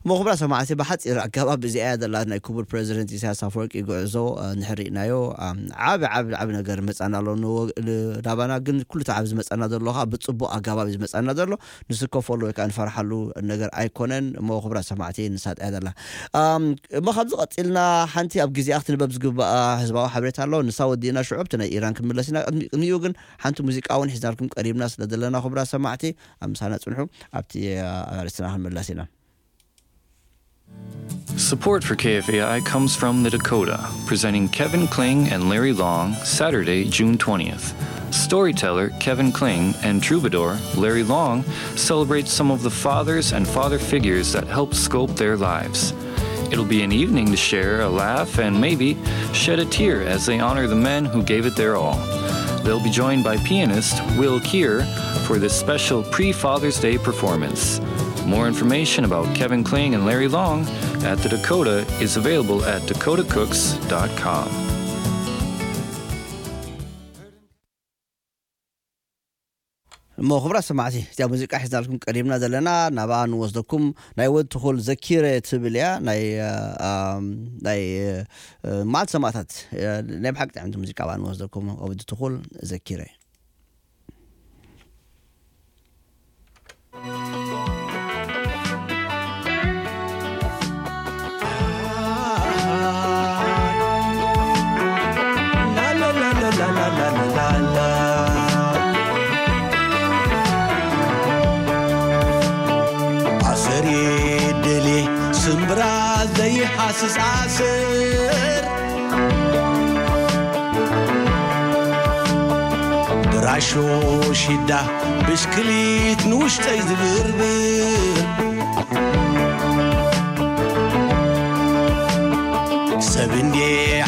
እሞ ክቡራት ሰማዕቲ፣ ብሓጺር ኣገባብ እዚኣ እያ ዘላ ናይ ክቡር ፕረዚደንት ኢሳያስ ኣፈወርቂ ጉዕዞ፣ እ፣ ንሕሪእናዮ፣ እ፣ ዓቢ፣ ዓቢ፣ ዓቢ ነገር መጻና ኣሎ ንወ-፣ ን-፣ ናባና፣ ግን ኩሉ እቲ ዓቢ ዝመጻና ዘሎ ከኣ ብጽቡቕ ኣገባብ እዩ ዝመጻና ዘሎ። ንስከፈሉ ወይ ከኣ ንፈርሓሉ ነገር ኣይኮነን። እሞ ክቡራት ሰማዕቲ፣ ንሳ ጥያ ዘላ። ኣም፣ እሞ ካብዚ ቀጺልና ሓንቲ ኣብ ግዜኣ ክትንበብ ዝግባኣ ህዝባዊ ሓበሬታ ኣሎ። ንሳ ወዲእና ሽዑ ኣብቲ ናይ ኢራን ክንምለስ ኢና። ቅድሚ-፣ ቅድሚኡ ግን ሓንቲ ሙዚቃ እውን ሒዝናልኩም ቀሪብና ስለ ዘለና፣ ክቡራት ሰማዕቲ፣ ኣብ ምሳና ጽንሑ። ኣብቲ፣ ኣ፣ ኣርእስትና ክንምለስ ኢና። Support for K F A I comes from The Dakota, presenting Kevin Kling and Larry Long, Saturday, June twentieth. Storyteller Kevin Kling and troubadour Larry Long celebrate some of the fathers and father figures that helped sculpt their lives. It'll be an evening to share a laugh and maybe shed a tear as they honor the men who gave it their all. They'll be joined by pianist Will Keir for this special pre Father's Day performance. More information about Kevin Kling and Larry Long at the Dakota is available at dakota cooks dot com. እሞ ክቡራት ሰማዕቲ፣ እዚኣ ሙዚቃ ሒዝናልኩም ቀሪብና ዘለና፣ ናብኣ ንወስደኩም። ናይ ወዲ ትኹል ዘኪረ ትብል እያ። ናይ፣ እ፣ ኣም፣ ናይ፣ እ፣ መዓልቲ ሰማእታት፣ እ፣ ናይ ብሓቂ ጥዕምቲ ሙዚቃ ብኣ ንወስደኩም። ወዲ ትኹል ዘኪረ። ኣሰር ይደሊ ስምብራ ዘይሓስስ ኣሰር፣ ብራሾ ሽዳ ብሽክሊት ንውሽጠይ ዝብርብር፣ ሰብ እንዴ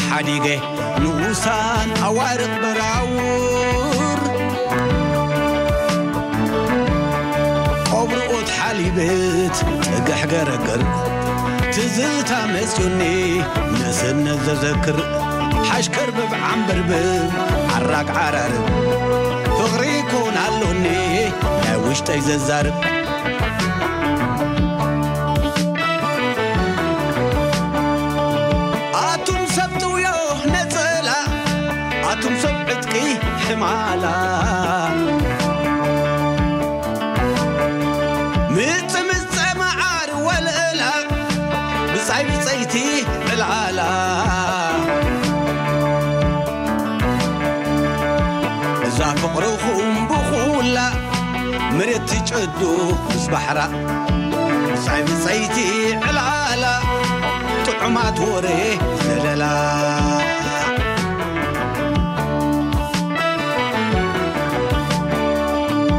ሓዲገ ንኡሳን ኣዋርቕ በራውር፣ ቆብርኦት ሓሊበት ጽግሕ ገረገር፣ ትዝታ መጽዩኒ ንእስነት ዘዘክር ሓሽከር ብብ ዓምበርብብ ዓራግ ዓራርብ ፍቕሪ ኮን ኣሎኒ ናይ ውሽጠይ ዘዛርብ ኣቱም ሰብ ጥውዮ ነጸላ ኣቱም ሰብ ዕጥቂ ሕማላ ምጽ ምጸ መዓር ወለላ ብጻይ ብጸይቲ ዕላላ እዛ ፍቕርኹም ብኹላ መሬት ትጨዱ ምስ ባሕራ ብጻይ ብጸይቲ ዕላላ ጥዑማት ወሬ ዘለላ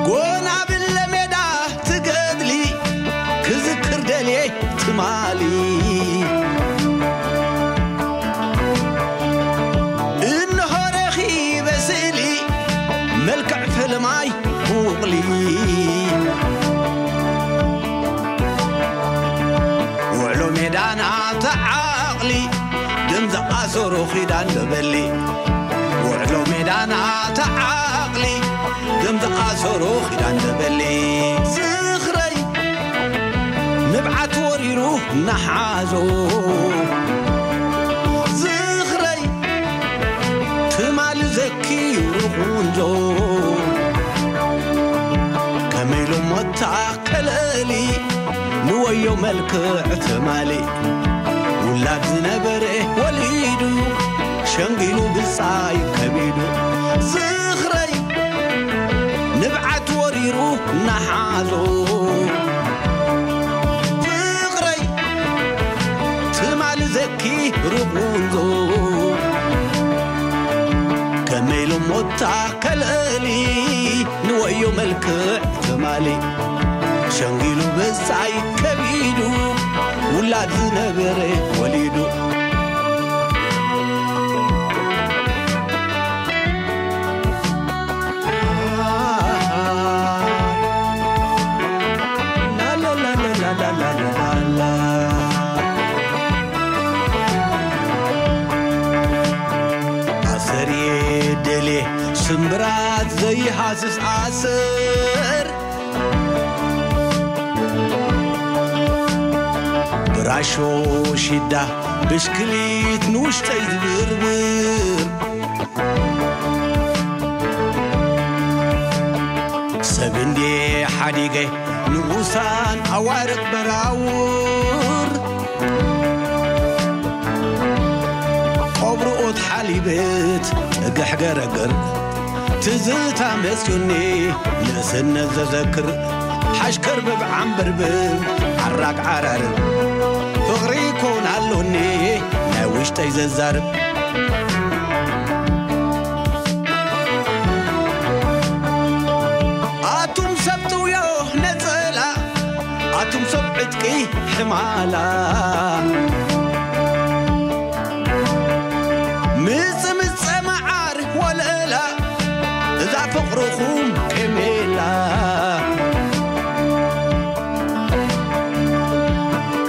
ጎና ብለ ሜዳ ትገድሊ ክዝክር ደልየ ትማሊ እንሆ ረኺበ ስእሊ መልክዕ ፈለማይ ብውቕሊ ውዕሎ ሜዳና ተዓቕሊ ደም ዝኣሰሮ ኺዳን ዶ በሊ ውዕሎ ሜዳና ተዓቕሊ ደም ዝኣሰሮ ኺዳን ዶ በሊ ዝኽረይ ንብዓት ወሪሩ እናሓዞ ዝኽረይ ትማሊ ዘኪሩ ኹንዞ ከመይ ኢሎም ሞታ ከለሊ ንወዮ መልክዕ ትማሊ ውላድ ዝነበረ ወሊዱ ሸንጊሉ ብጻይ ከቢዱ ዝኽረይ ንብዓት ወሪሩ እናሓዞ ፍቕረይ ትማሊ ዘኪሩ ቁንዞ ከመይ ኢሎም ሞታ ከለሊ ንወዮ መልክዕ ትማሊ ሸንጊሉ ብጻይ ከቢዱ ውላድ ዝነበረ ወሊዱ ኣሰር የደልየ ስምብራት ዘይሃስስ ኣሰር ብራሾ ሽዳ ብሽክሊት ንውሽጠይ ዝብርብር ሰብ እንዴ ሓዲገ ንኡሳን ኣዋርቕ በራውር ቆብርኦት ሓሊበት ጥግሕ ገረግር ትዝታ መጽዩኒ ንእስነት ዘዘክር ሓሽከር ብብ ዓምበርብብ ዓራግ ዓራርብ ፍቕሪ ኮን ኣሎኒ ናይ ውሽጠይ ዘዛርብ ኣቱም ሰብ ጥውዮ ነጸላ ኣቱም ሰብ ዕጥቂ ሕማላ ምጽ ምጸ መዓር ወለላ እዛ ፍቕርኹም ኬሜላ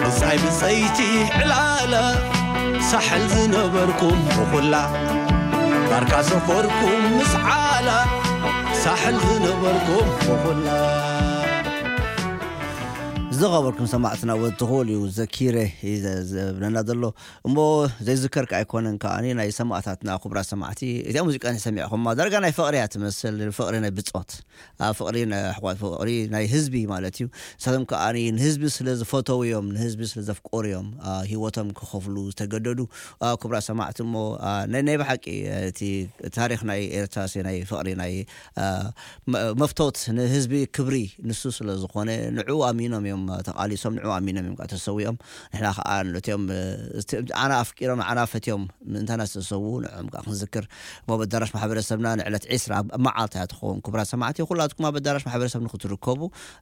ብጻይ ብጸይቲ ዕላላ ሳሕል ዝነበርኩም ብኹላ ባርካ ሰፈርኩም ምስ ዓላ ሳሕል ዝነበርኩም ብኹላ ዝኸበርኩም ሰማዕትና ወትኹል እዩ ዘኪረ እዩ ዘ- ዘብለና ዘሎ እሞ ዘይዝከርካ ኣይኮነን ከዓኒ ናይ ሰማዕታትና ክቡራት ሰማዕቲ እዚኣ ሙዚቃ ሰሚዕኹማ ዳርጋ ናይ ፍቕሪ እያ ትመስል ፍቕሪ ናይ ብፆት ኣብ ፍቕሪ ናይ ኣሕዋት ፍቕሪ ናይ ህዝቢ ማለት እዩ ንሳቶም ከዓኒ ንህዝቢ ስለ ዝፈተው እዮም ንህዝቢ ስለ ዘፍቆሩ እዮም አ፣ ህይወቶም ክኸፍሉ ዝተገደዱ አ፣ ክቡራት ሰማዕቲ እሞ አ፣ ናይ ናይ ብሓቂ እቲ ታሪኽ ናይ ኤርትራ ሲ ናይ ፍቕሪ ናይ አ፣ መ- መፍቶት ንህዝቢ ክብሪ ንሱ ስለ ዝኾነ ንዑ ኣሚኖም እዮም ተቓሊሶም ንዑ ኣሚኖም እዮም ከዓ ተሰዊኦም ንሕና ከዓ ነቲኦም እ፣ እቲ- ኣና ኣፍቂሮም ኣና ፈትዮም ምእንታና ዝተሰዉ ንዕኦም ከዓ ክንዝክር እሞ በዳራሽ ማሕበረሰብና ንዕለት ዒስራ ኣብ መዓልታ እያ ትኸውን ክቡራት ሰማዕቲ ኩላትኩም ኣብ በዳራሽ ማሕበረሰብ ንክትርከቡ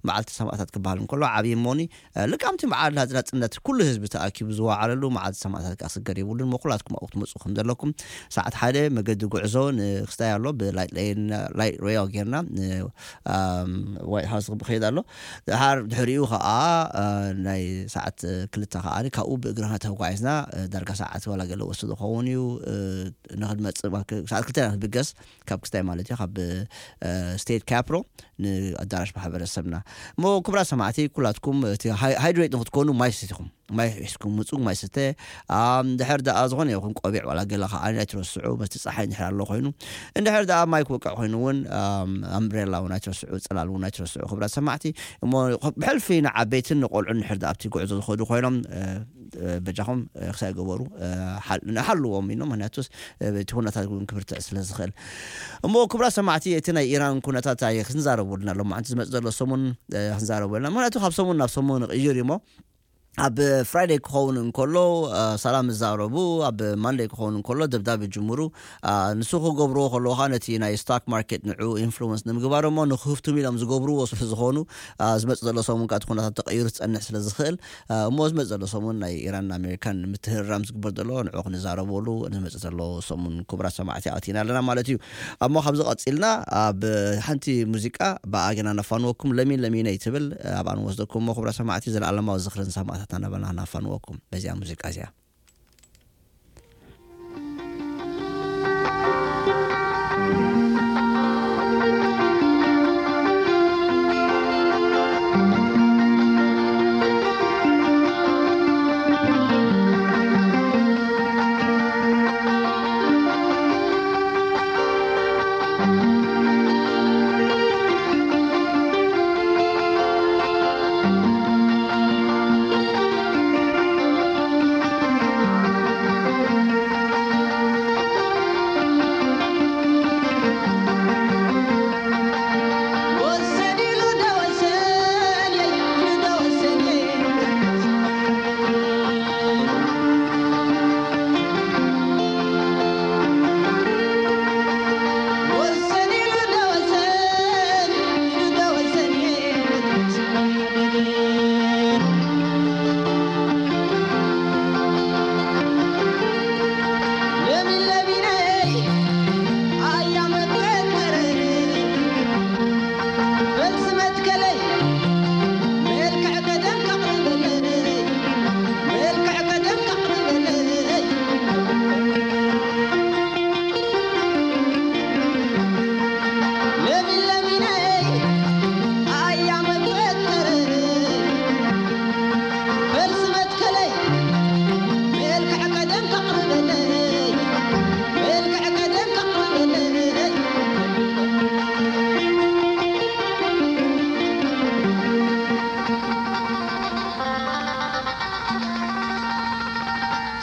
መዓልቲ ሰማዕታት ክበሃል እንከሎ ዓብዪ እሞኒ እ፣ ልቃምቲ መዓልቲ ናጽነት ኩሉ ህዝቢ ተኣኪቡ ዝወዓለሉ መዓልቲ ሰማዕታት ከዓ ክስገር የብሉን እሞ ኩላትኩም ኣብኡ ክትመፁ ከም ዘለኩም ሰዓት ሓደ መገዲ ጉዕዞ ንክስታይ ኣሎ ብላይት ሬዮ ጌርና ን- ኣም፣ ዋይት ሃውስ ክኸይድ ኣሎ ድሓር ድሕሪኡ ከዓ ኣ፣ እ፣ ናይ ሰዓት፣ እ፣ ክልተ ከኣ ካብኡ ብእግርና ተጓዒዝና፣ እ፣ ዳርጋ ሰዓት ዋላ ገለ ወስድ ዝኸውን እዩ። እ፣ ንኽንመጽእ ማ-፣ ክ-፣ ሰዓት ክልተ ኢና ንብገስ፣ ካብ ክስታይ ማለት እዩ፣ ካብ፣ እ፣ ስቴት ካፕሮ ንኣዳራሽ ማሕበረሰብና። እሞ ክቡራት ሰማዕቲ፣ ኩላትኩም እቲ ሃይ-፣ ሃይድሬት ንኽትኮኑ ማይ ስቲኹም። ማይ ሒዝኩም ምጹ፣ ማይ ስተ። ኣም፣ ድሕር ደኣ ዝኾነ ይኹን ቆቢዕ ዋላ ገለ ከኣ ኣይትረስዑ፣ በቲ ጸሓይ እንድሕር ኣሎ ኮይኑ። እንድሕር ደኣ ማይ ክወቅዕ ኮይኑ እውን፣ ኣም፣ ኣምብሬላ እውን ኣይትረስዑ፣ ጽላል እውን ኣይትረስዑ። ክቡራት ሰማዕቲ፣ እሞ ብሕልፊ ንዓበይትን ንቆልዑን እንድሕር ደኣ ኣብቲ ጉዕዞ ዝኸዱ ኮይኖም፣ እ፣ እ፣ በጃኹም፣ እ፣ ክሳይ ገበሩ፣ እ፣ ሓል-፣ ንሓልዎም ኢኖም፣ ምክንያቱስ፣ እ፣ እቲ ኩነታት እውን ክብርትዕ ስለ ዝኽእል። እሞ ክቡራት ሰማዕቲ፣ እቲ ናይ ኢራን ኩነታት ኣይ ክንዛረቡ ኣለና፣ ሎማዓንቲ ዝመጽእ ዘሎ ሰሙን፣ እ፣ ክንዛረቡ ኣለና። ምክንያቱ ካብ ሰሙን ናብ ሰሙን ይቕይር እዩ እሞ፣ ኣብ ፍራይደይ ክኸውን እንከሎ፣ እ፣ ሰላም ይዛረቡ፣ ኣብ ማንደይ ክኸውን እንከሎ ደብዳብ ይጅምሩ። እ፣ ንሱ ክገብርዎ ከለዉ ኸኣ ነቲ ናይ ስቶክ ማርኬት ንዕኡ ኢንፍሉወንስ ንምግባር እሞ ንክህፍትሙ ኢሎም ዝገብርዎ ስለ ዝኾኑ፣ እ፣ ዝመጽእ ዘሎ ሰሙን ከኣ እቲ ኩነታት ተቐይሩ ክጸንሕ ስለ ዝኽእል፣ እ፣ እሞ ዝመጽእ ዘሎ ሰሙን ናይ ኢራንን ኣሜሪካን ምትህርራም ዝግበር ዘሎ ንዕኡ ክንዛረበሉ ንመጽእ ዘሎ ሰሙን ክቡራት ሰማዕቲ ኣቲና ኣለና ማለት እዩ። እሞ ካብዚ ቀጺልና ኣብ ሓንቲ ሙዚቃ ብኣገና ነፋንወኩም ለሚን ለሚነይ ትብል ኣብኣ ንወስደኩም እሞ ክቡራት ሰማዕቲ ዘለኣለማዊ ዝኽርን ሰማዕታትና እናበልና ነፋንወኩም በዚኣ ሙዚቃ እዚኣ።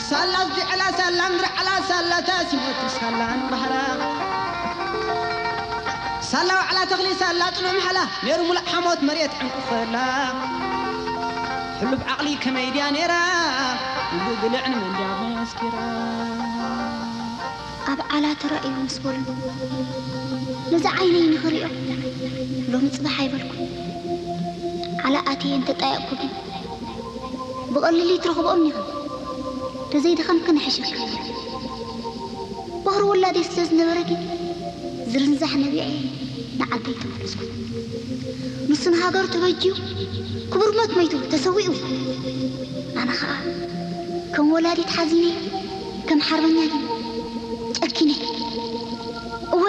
ሳላ ዝድዕላ ሳላ ንድርዓላ ሳላ ታሲሞት ሳላ ንባህራ ሳላ ዋዕላ ተኽሊ ሳላ ጽኑዕ ምሓላ ነይሩ ሙሉእ ሓሞት መሬት ዕንቁ ኸላ ሕሉፍ ዓቕሊ ከመይ ድያ ነይራ ብግልዕ ንመን ድያ መስኪራ ኣብ ዓላ ተራእዩ ምስ በሉ ነዚ ዓይነይ ንኽሪኦ ሎሚ ጽባሕ ኣይበልኩ ዓላ ኣትየ እንተጣየቕኩ ግን ብቐሊሉ ይትረኽብኦም ኢኻ ተዘይደኸምኪ ንሕሸካ ባህሪ ውላደይ ስለ ዝነበረ ግን ዝርንዛሕ ነቢዐ ንዓደይ ተመለስኩ ንሱ ንሃገሩ ተበጅዩ ክቡር ሞት መይቱ ተሰዊኡ ኣነ ኸዓ ከም ወላዲት ሓዚነ ከም ሓርበኛ ግን ጨኪነ እወ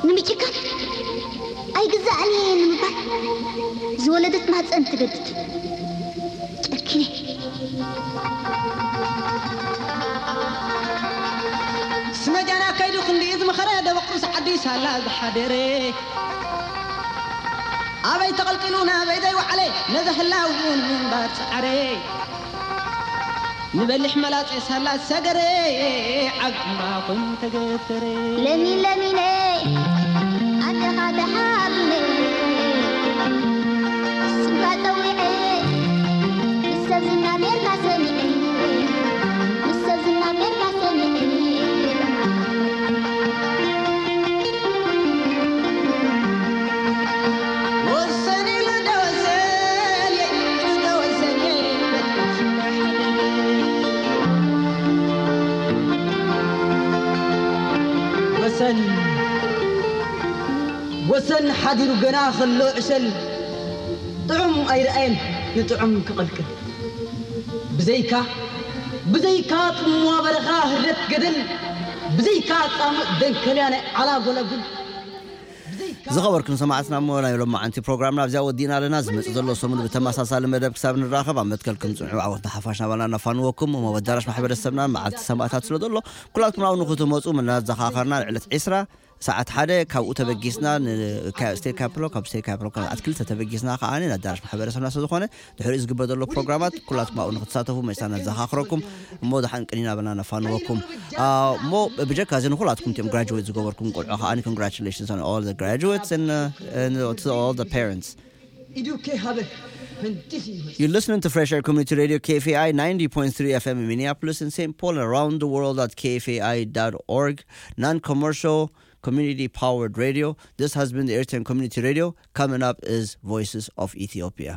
ንምጭካን ኣይግዛእን እየ ንምባል ዝወለደት ማህፀን ትገድድ ጨኪነ ስመጃና ከይዱ ክንዲ ዝመኸረ ደበቕ ርእሲ ዓዲ ሳላ ዝሓደረ ኣበይ ተቐልቂሉ ናበይ ዘይወዓለ ነዚ ህላው እውን ምንባር ፃዕረ ንበሊሕ መላፀ ሳላ ዝሰገረ ዓብ ዕምባ ኮይኑ ተገተረ ለሚ ለሚነ ኣደኻ ተሓሚመ ስምካ ፀዊዐ ምስ ሰብ ዝናገርካ ሰሚዐ ምስ ሰብ ዝናገርካ ሰሚዐ ወሰን ወሰን ሓዲሩ ገና ከሎ ዕሸል ጥዑም ኣይረኣየን ንጥዑም ክቕልቅል። ብዘይካ ብዘይካ ጽምዋ በረኻ ህረት ገደል፣ ብዘይካ ጻምእ ደንከልያ ናይ ዓላ ጎላጉል። ዝኸበርኩም ሰማዕትና፣ እሞ ናይ ሎማዓንቲ ፕሮግራምና ኣብዚኣ ወዲእና ኣለና። ዝመፅእ ዘሎ ሰሙን ብተመሳሳሊ መደብ ክሳብ ንራኸብ ኣብ መትከልኩም ፅንሑ። ዓወት ንሓፋሽ ናባና ነፋንወኩም። እሞ ኣዳራሽ ማሕበረሰብና መዓልቲ ሰማእታት ስለ ዘሎ ኩላትኩም ኣብኡ ንክትመፁ እናዘኻኸርና፣ ንዕለት ዒስራ ሰዓት ሓደ ካብኡ ተበጊስና ስቴት ካፕሎ፣ ካብ ስቴት ካፕሎ ኣትክልተ ተበጊስና ከዓ ኣዳራሽ ማሕበረሰብና ስለ ዝኾነ ድሕሪኡ ዝግበር ዘሎ ፕሮግራማት ኩላትኩም ኣብኡ ንክትሳተፉ መፅና ነዘኻኽረኩም። እሞ ደሓን ቅኒና በልና ነፋንወኩም። እሞ ብጀካ እዚ ንኩላትኩም እቲኦም ግራጅዌት ዝገበርኩም ቆልዑ ከዓ congratulations on all the graduates and, uh, and to all the parents. You're listening to Fresh Air Community Radio K F A I ninety point three F M in Minneapolis and Saint Paul and around the world at K F A I dot org. Non commercial, community powered radio. This has been the Eritrean Community Radio. Coming up is Voices of Ethiopia.